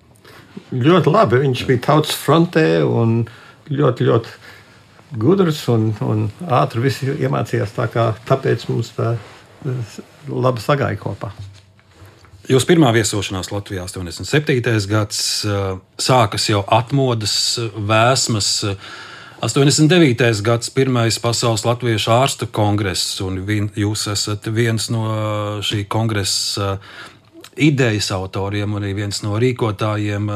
Ļoti labi, viņš bija tautas frontē un ļoti, ļoti gudrs un ātri visi iemācījās, tāpēc mums tā labi sagāja kopā. Jūs pirmā viesošanās Latvijā 87. gads, sākas jau atmodas, vēsmas, 89. gads, pirmais pasaules latviešu ārstu kongress, un jūs esat viens no šī kongresa idejas autoriem, arī viens no rīkotājiem.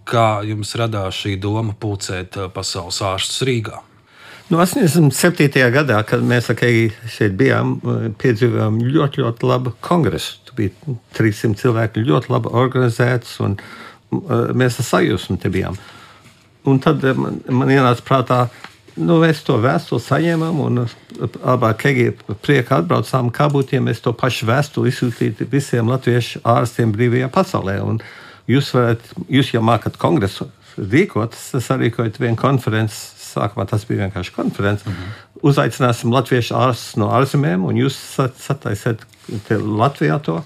Kā jums radās šī doma pulcēt pasaules ārstus Rīgā? 87. gadā, kad mēs šeit bijām, piedzīvojām ļoti, ļoti labu kongresu. Tu bija 300 cilvēki, ļoti labi organizēts, un mēs ar sajūsmu te bijām. Un tad man ienāca prātā, mēs to vēstuli saņēmām, un abā Kegi priekā atbraucām, kā būtu, ja mēs to pašu vēstuli izsūtītu visiem latviešu ārstiem brīvajā pasaulē. Un jūs jau mākat kongresu rīkot, es sarīkoju vienu konferenci, sākumā tas bija vienkārši konferenci. Uzaicināsim latviešu ārstus no ārzemēm, un jūs sataisiet Latvijā to.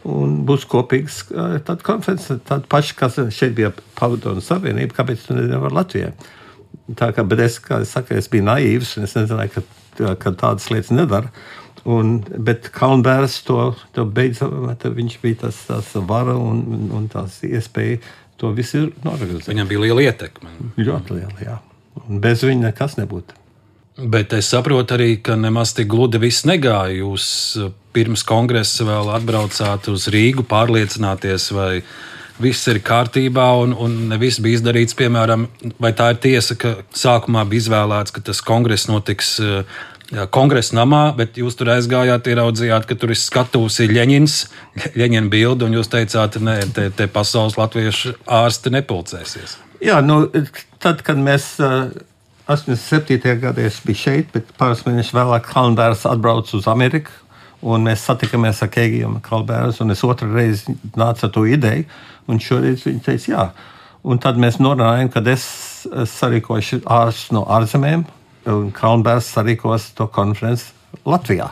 Un būs kopīgs tāda konference, tāda paša, kas šeit bija Padomu Savienība, kāpēc tu nevar Latvijā. Bet es, kā es saku, es biju naīvs, un es nezināju, ka tādas lietas nedara. Bet Kalnbērs to beidza, viņš bija tās vara un tās iespēja to visu norganizēt. Viņam bija liela ietekme. Ļoti liela, jā. Un bez viņa nekas nebūtu. Bet es saprotu arī, ka nemaz tik gludi viss negāja. Jūs pirms kongresa vēl atbraucāt uz Rīgu, pārliecināties, vai viss ir kārtībā, un ne viss bija izdarīts. Piemēram, vai tā ir tiesa, ka sākumā bija izvēlēts, ka tas kongress notiks Kongresa namā, bet jūs tur aizgājāt, ieraudzījāt, ka tur ir skatuves Ļeņina bilde, un jūs teicāt, nē, te pasaules latviešu ārsti nepulcēsies. Jā, tad, kad mēs 87. gadā es biju šeit, bet pāris mēnešus vēlāk Kalnbērs atbrauc uz Ameriku, un mēs satikāmies ar Kegiju un Kalnbērs, un es otru reizi nācu ar to ideju, un šoreiz viņi teica, jā. Un tad mēs norādījām, kad es sarīkošu ārstus no ārzemēm, un Kalnbērs sarīkos to konferenci Latvijā.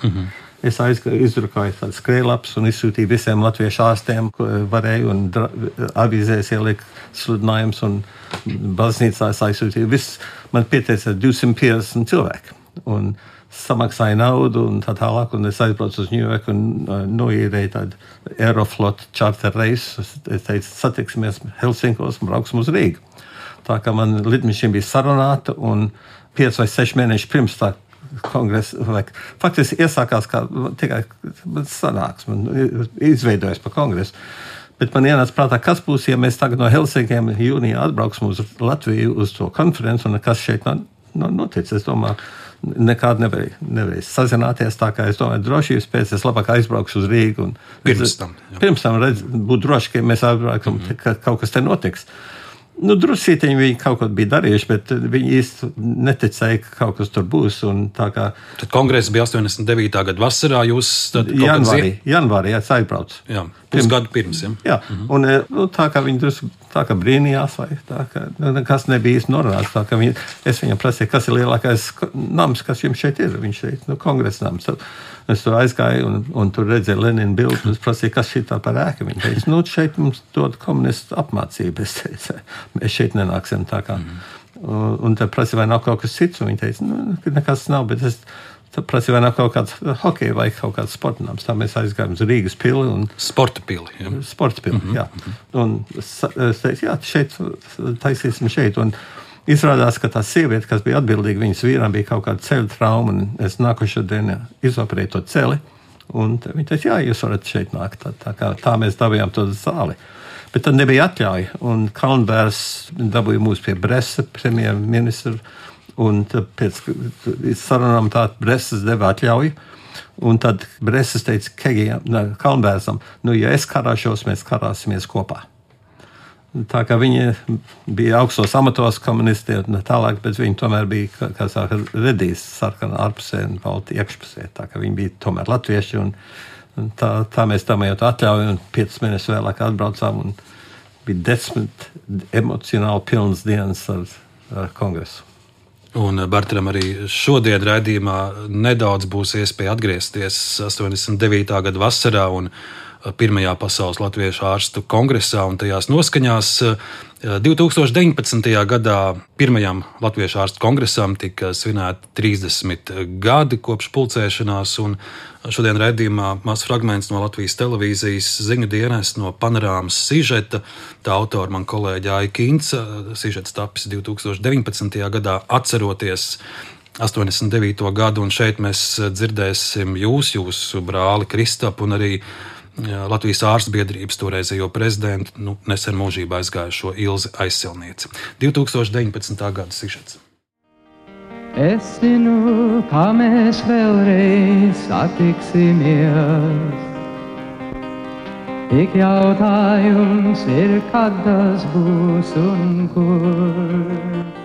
Es izdrukāju tādas skrējlapas un izsūtīju visiem latviešu ārstiem, ko varēju, un avīzēs ieliku sludinājums, un baznīcās aizsūtīju. Man pieteica 250 cilvēki, un samaksāju naudu, un tā tālāk, un es aizbraucu uz Ņujorku un noīrēju tādu Aeroflot charter reisu. Es teicu, satiksimies Helsinkos un brauksim uz Rīgu. Tā kā man lidmašīna bija sarunāta, un 5 vai 6 mēneši pirms tā kongresa, faktiski iesākās kā tikai sanāksme, izveidojas par kongresu. Bet man ienāca prātā, kas būs, ja mēs tagad no Helsinkiem jūnijā atbrauksim uz Latviju uz to konferenci, un kas šeit notic. Es domāju, nekādi nevarēja sazināties, tā kā es domāju, drošības pēc es labāk aizbraukšu uz Rīgu. Pirms tam būtu droši, ka mēs atbrauksim, ka kaut kas te notiks. Drusītiņi viņi kaut ko bija darījuši, bet viņi īsti neticēja, ka kaut kas tur būs. Tad kongress bija 89. gada vasarā, jūs tad janvārī es aizbraucu. Jā, pusgadu pirms. Jā, un tā kā viņi tā kā brīnījās, vai tā kā nekas nebija īsti norādīts. Tā kā es viņam prasīju, kas ir lielākais nams, kas jums šeit ir. Viņš šeit, kongresa nams. Es tur aizgāju un tur redzēju Lenina bildi, un es prasīju, kas šī tā par ēku. Viņi teica, šeit mums dod komunistu apmācību. Es teicu, mēs šeit nenāksim tā kā. Un tad prasīju, vai nav kaut kas cits, un viņi teica, nekas nav, bet es prasīju, vai nav kaut kāds hokeja vai kaut kāds sportnams. Tā mēs aizgājām uz Rīgas pili. Sporta pili, jā. Sporta pili, jā. Un es teicu, jā, šeit taisīsim šeit. Un izrādās, ka tā sieviete, kas bija atbildīga, viņas vīram bija kaut kāda ceļa trauma, un es nākošo dienu izoperēju to celi, un viņa teica, jā, jūs varat šeit nākt. Tā mēs dabījām to zāli. Bet tad nebija atļauja, un Kalnbērs dabūja mūs pie Bresa, premjerministra, un pēc sarunām tā Bresas deva atļauju, un tad Bresas teica Kalnbērsam, ja es karāšos, mēs karāsimies kopā. Tā kā viņi bija augstos amatos komunisti un tālāk, bet viņi tomēr bija, kā saka, redīs sarkanā ārpusē un balti iekšpusē. Tā kā viņi bija tomēr latvieši, un tā mēs domājot atļauju, un 5 mēnešus vēlāk atbraucām, un bija 10 emocionāli pilnas dienas ar kongresu. Un Bartram arī šodien raidījumā nedaudz būs iespēja atgriezties 89. gada vasarā un Pirmajā pasaules latviešu ārstu kongresā un tajās noskaņās. 2019. gadā Pirmajam latviešu ārstu kongresam tika svinēti 30 gadi kopš pulcēšanās, un šodien raidījumā mazs fragments no Latvijas televīzijas ziņu dienas no panorāmas sižeta. Tā autora man kolēģi Aija Kinca, sižets tapis 2019. gadā atceroties 89. gadu, un šeit mēs dzirdēsim jūsu brāli Kristapu un arī Latvijas ārstu biedrības toreizējo prezidentu, nesen mūžībā aizgājušo Ilzi Aizsilnieci. 2019. gada sižets. Es zinu, kā mēs vēlreiz satiksimies. Tik jautājums ir, kad tas būs un kur.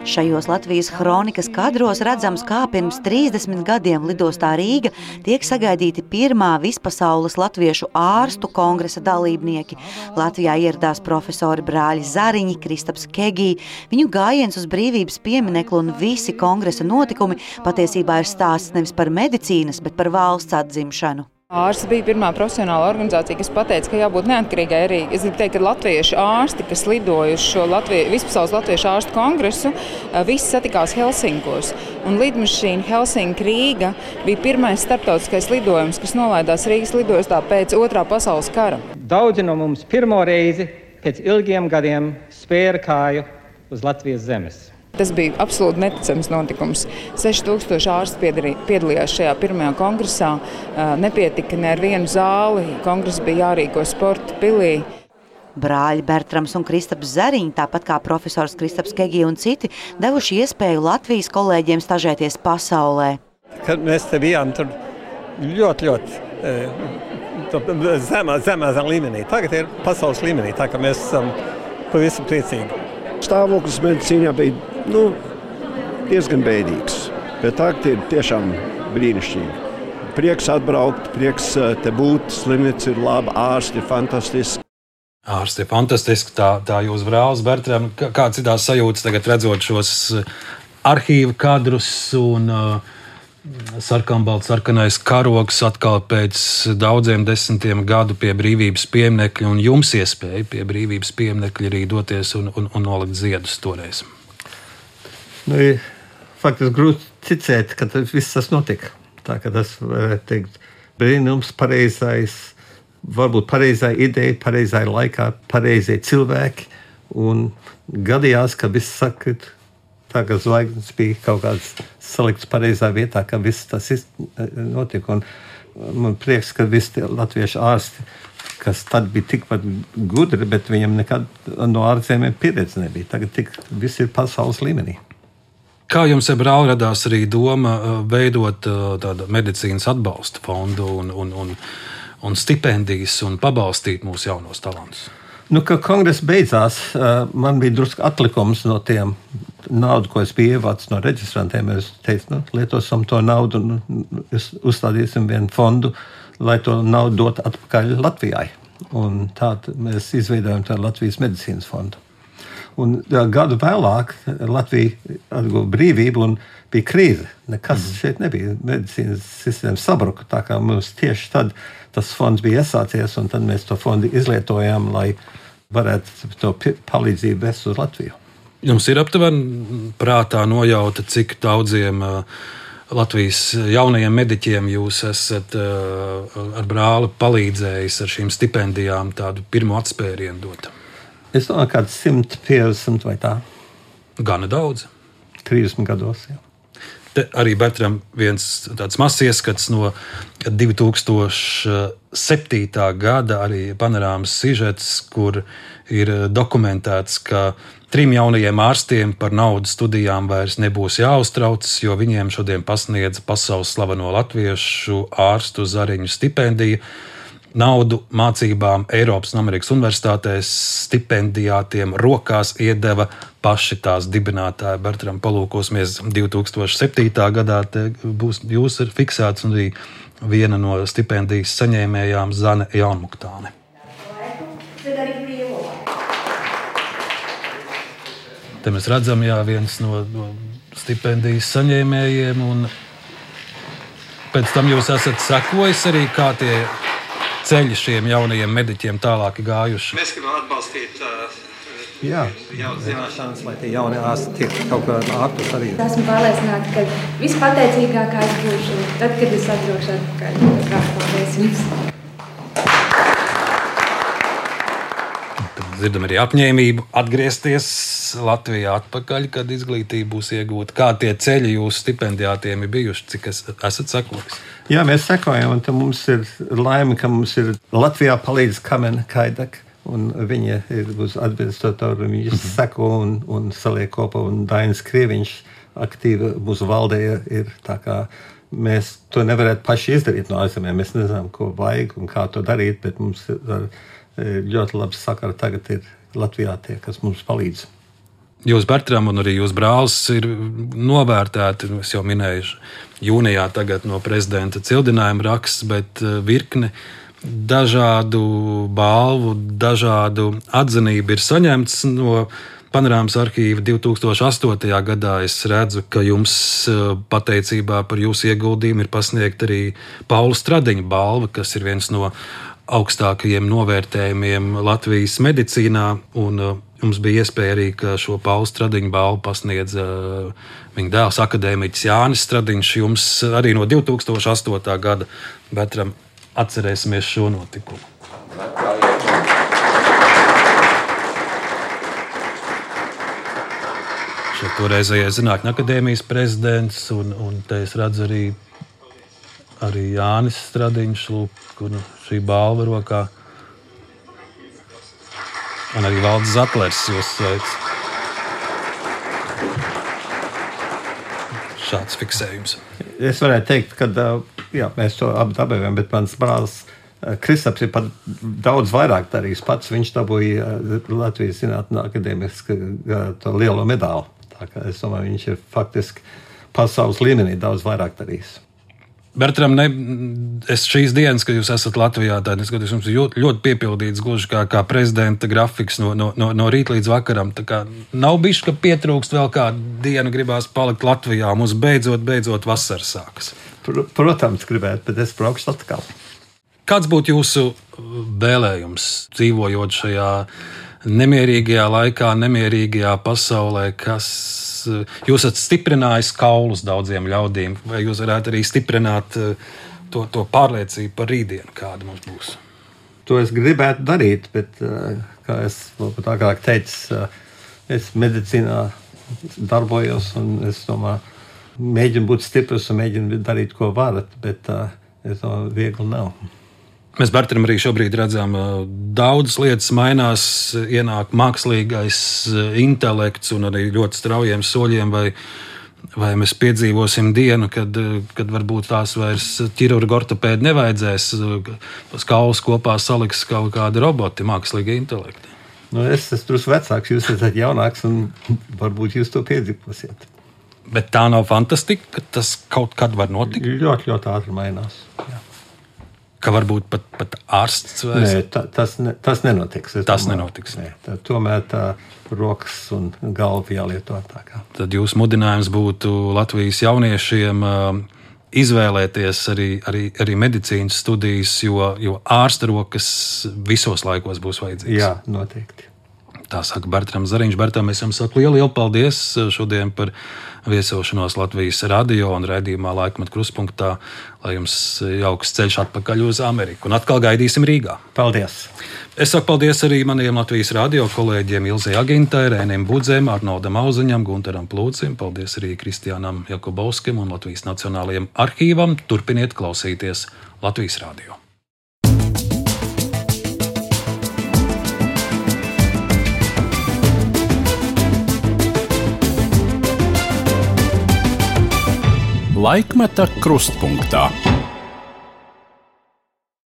Šajos Latvijas kronikas kadros redzams, kā pirms 30 gadiem lidostā Rīga tiek sagaidīti pirmā vispasaules latviešu ārstu kongresa dalībnieki. Latvijā ieradās profesori brāļi Zariņi, Kristaps Kegī. Viņu gājiens uz brīvības piemineklu un visi kongresa notikumi patiesībā ir stāsts nevis par medicīnas, bet par valsts atzimšanu. Ārsti bija pirmā profesionāla organizācija, kas pateica, ka jābūt neatkarīgai arī. Es gribu teikt, ka latviešu ārsti, kas lidoja uz šo vispasaules latviešu ārstu kongresu, visi satikās Helsinkos. Un lidmašīna Helsinki-Rīga bija pirmais starptautiskais lidojums, kas nolaidās Rīgas lidostā pēc Otrā pasaules kara. Daudzi no mums pirmo reizi pēc ilgiem gadiem spēra kāju uz Latvijas zemes. Tas bija absolūti neticams notikums. 6000 ārsti piedalījās šajā pirmajā kongresā. Nepietika ne ar vienu zāli. Kongress bija jārīko sporta pilī. Brāļi Bertrams un Kristaps Zariņi, tāpat kā profesors Kristaps Kegī un citi, devuši iespēju Latvijas kolēģiem stažēties pasaulē. Kad mēs te bijām tur ļoti zemā līmenī. Tagad ir pasaules līmenī, tā ka mēs esam pavisam priecīgi. Stāvoklis medicīnā bija diezgan bēdīgs, bet tagad ir tiešām brīnišķīgi. Prieks atbraukt, prieks te būt, slimnīca ir laba, ārsti ir fantastiski. Ārsti ir fantastiski, tā jūs brālis Bertram. Kāds ir tās sajūtas tagad redzot šos arhīva kadrus un sarkanais karogs atkal pēc daudziem desmitiem gadu pie brīvības pieminekļa un jums iespēja pie brīvības pieminekļa arī doties un nolikt ziedus toreiz? Faktiski grūti ticēt, ka viss tas notika. Tā kā tas, varētu teikt, brīnums, varbūt pareizā ideja, pareizā laikā, pareizie cilvēki. Un gadījās, ka viss sakrit, tā kā zvaigznes bija kaut kāds salikts pareizā vietā, ka viss tas notika. Un man prieks, ka visi latviešu ārsti, kas tad bija tikpat gudri, bet viņam nekad no ārzemēm pieredze nebija. Tagad viss ir pasaules līmenī. Kā jums, brāl, radās arī doma veidot tādu medicīnas atbalsta fondu un stipendijas un pabalstīt mūsu jaunos talantus? Kad kongress beidzās, man bija drusku atlikums no tiem naudu, ko es biju ievācis no reģistrantiem. Es teicu, lietosim to naudu un uzstādīsim vienu fondu, lai to naudu dotu atpakaļ Latvijai. Un tādu mēs izveidojam tādu Latvijas medicīnas fondu. Un gadu vēlāk Latvija atguva brīvību un bija krīze. Nekas šeit nebija. Medicīnas sistēma sabruka, tā kā mums tieši tad tas fonds bija iesācies, un tad mēs to fondu izlietojām, lai varētu to palīdzību vest uz Latviju. Jums ir aptuveni prātā nojauta, cik daudziem Latvijas jaunajiem mediķiem jūs esat ar brāli palīdzējis ar šīm stipendijām tādu pirmo atspērienu dot? Es domāju, kāds 150 vai tā. Gana daudz. 30 gados, jā. Te arī Bertram viens tāds mazs ieskats no 2007. Gada arī panorāmas sižets, kur ir dokumentēts, ka 3 jaunajiem ārstiem par naudu studijām vairs nebūs jāuztraucas, jo viņiem šodien pasniedz pasaules slaveno latviešu ārstu Zariņu stipendiju. Naudu mācībām Eiropas un Amerikas universitātēs stipendijātiem rokās iedeva paši tās dibinātāji. Bertram, palūkosimies 2007. gadā, te būs jūs ir fiksēts un arī viena no stipendijas saņēmējām Zane Jaunmuktāne. Te mēs redzam, viens no stipendijas saņēmējiem, un pēc tam jūs esat sekojis arī, kā tie ceļi šiem jaunajiem mediķiem tālāk gājuši. Mēs gribam atbalstīt jaunas zināšanas, lai tie jaunie ārsti tiek kaut kā ārpus arī. Esmu pārliecināta, ka vispateicīgākā es būšu tad, kad es atbraukšu atpakaļ. Paldies jums! Dzirdam arī apņēmību atgriezties Latvijā atpakaļ, kad izglītība būs iegūta. Kā tie ceļi jūsu stipendijātiem ir bijuši, cik esat sekojis? Jā, mēs sekojam, un mums ir laime, ka mums ir Latvijā palīdz Kamena Kaidak, un viņa ir uz administratoru, viņa seko un saliek kopā, un Dainis Krieviņš aktīvi mūsu valdē ir, tā kā mēs to nevarētu paši izdarīt no ārzemēm. Mēs nezinām, ko vajag un kā to darīt, bet mums ir ļoti labi sakara tagad ir Latvijā tie, kas mums palīdz. Jūs, Bertram, un arī jūs brālis ir novērtēti, es jau minēju, jūnijā tagad no prezidenta cildinājuma raksts, bet virkne dažādu balvu, dažādu atzinību ir saņemts no Panorāmas arhīva 2008. gadā. Es redzu, ka jums pateicībā par jūsu ieguldījumu ir pasniegta arī Paula Stradiņa balva, kas ir viens no augstākajiem novērtējumiem Latvijas medicīnā, un mums bija iespēja arī, ka šo Paula Stradiņa balvu pasniedz viņa dēls akadēmiķis Jānis Stradiņš. Jums arī no 2008. gada, Bertram, atcerēsimies šo notikumu. Šeit toreizējais Zinātņu akadēmijas prezidents, un te es redzu arī Jānis Stradiņš, kur šī balva rokā. Un arī Valdis Zatlers jūs sveic. Šāds fiksējums. Es varētu teikt, ka mēs to dabējām, bet mans brālis Kristaps ir pat daudz vairāk darījis pats. Viņš dabūja Latvijas Zinātņu akadēmiski to lielo medāli. Tā kā es domāju, viņš ir faktiski pasaules līmenī daudz vairāk darījis. Bertram, es šīs dienas, kad jūs esat Latvijā, tad es skatos, jums ļoti piepildīts gluži kā prezidenta grafiks no rīta līdz vakaram. Tā kā nav bišķi, ka pietrūkst vēl kādu dienu, gribās palikt Latvijā. Mums beidzot vasara sākas. Protams, gribētu, bet es braukšu atkal. Kāds būtu jūsu vēlējums, dzīvojot šajā nemierīgajā laikā, nemierīgajā pasaulē, kas jūs esat stiprinājis kaulus daudziem ļaudīm, vai jūs varētu arī stiprināt to pārliecību par rītdienu, kāda mums būs? To es gribētu darīt, bet, kā es agrāk teicu, es medicīnā darbojos un es domāju, mēģinu būt stiprs un mēģinu darīt, ko varat, bet es domāju, viegli nav. Mēs, Bertram, arī šobrīd redzam, daudzas lietas mainās, ienāk mākslīgais intelekts un arī ļoti straujiem soļiem, vai mēs piedzīvosim dienu, kad varbūt tās vairs ķirurgu ortopēdi nevajadzēs, kaulus kopā saliks kaut kādi roboti, mākslīgi intelekti. Es esmu drusku vecāks, jūs esat jaunāks un varbūt jūs to piedzīvosiet. Bet tā nav fantastika, ka tas kaut kad var notikt? Ļoti, ļoti ātri mainās, jā. Ka varbūt pat ārsts vairs? Nē, tas nenotiks. Tas nenotiks. Nē, tomēr tā rokas un galva jālieto tā kā. Tad jūsu mudinājums būtu Latvijas jauniešiem izvēlēties arī medicīnas studijas, jo ārsta rokas visos laikos būs vajadzīgas. Jā, noteikti. Tā saka Bertrams Zariņš. Bertram, es jums saku lielu paldies šodien par viesošanos Latvijas radio un raidījumā Laikmetu krustpunktā, lai jums jauks ceļš atpakaļ uz Ameriku. Un atkal gaidīsim Rīgā. Paldies! Es saku paldies arī maniem Latvijas radio kolēģiem Ilzei Agintai, Rēnim Budzēm, Arnoldam Auziņam, Guntaram Plūcim. Paldies arī Kristiānam Jakubovskim un Latvijas Nacionālajiem arhīvam. Turpiniet klausīties Latvijas radio. Laikmeta krustpunktā.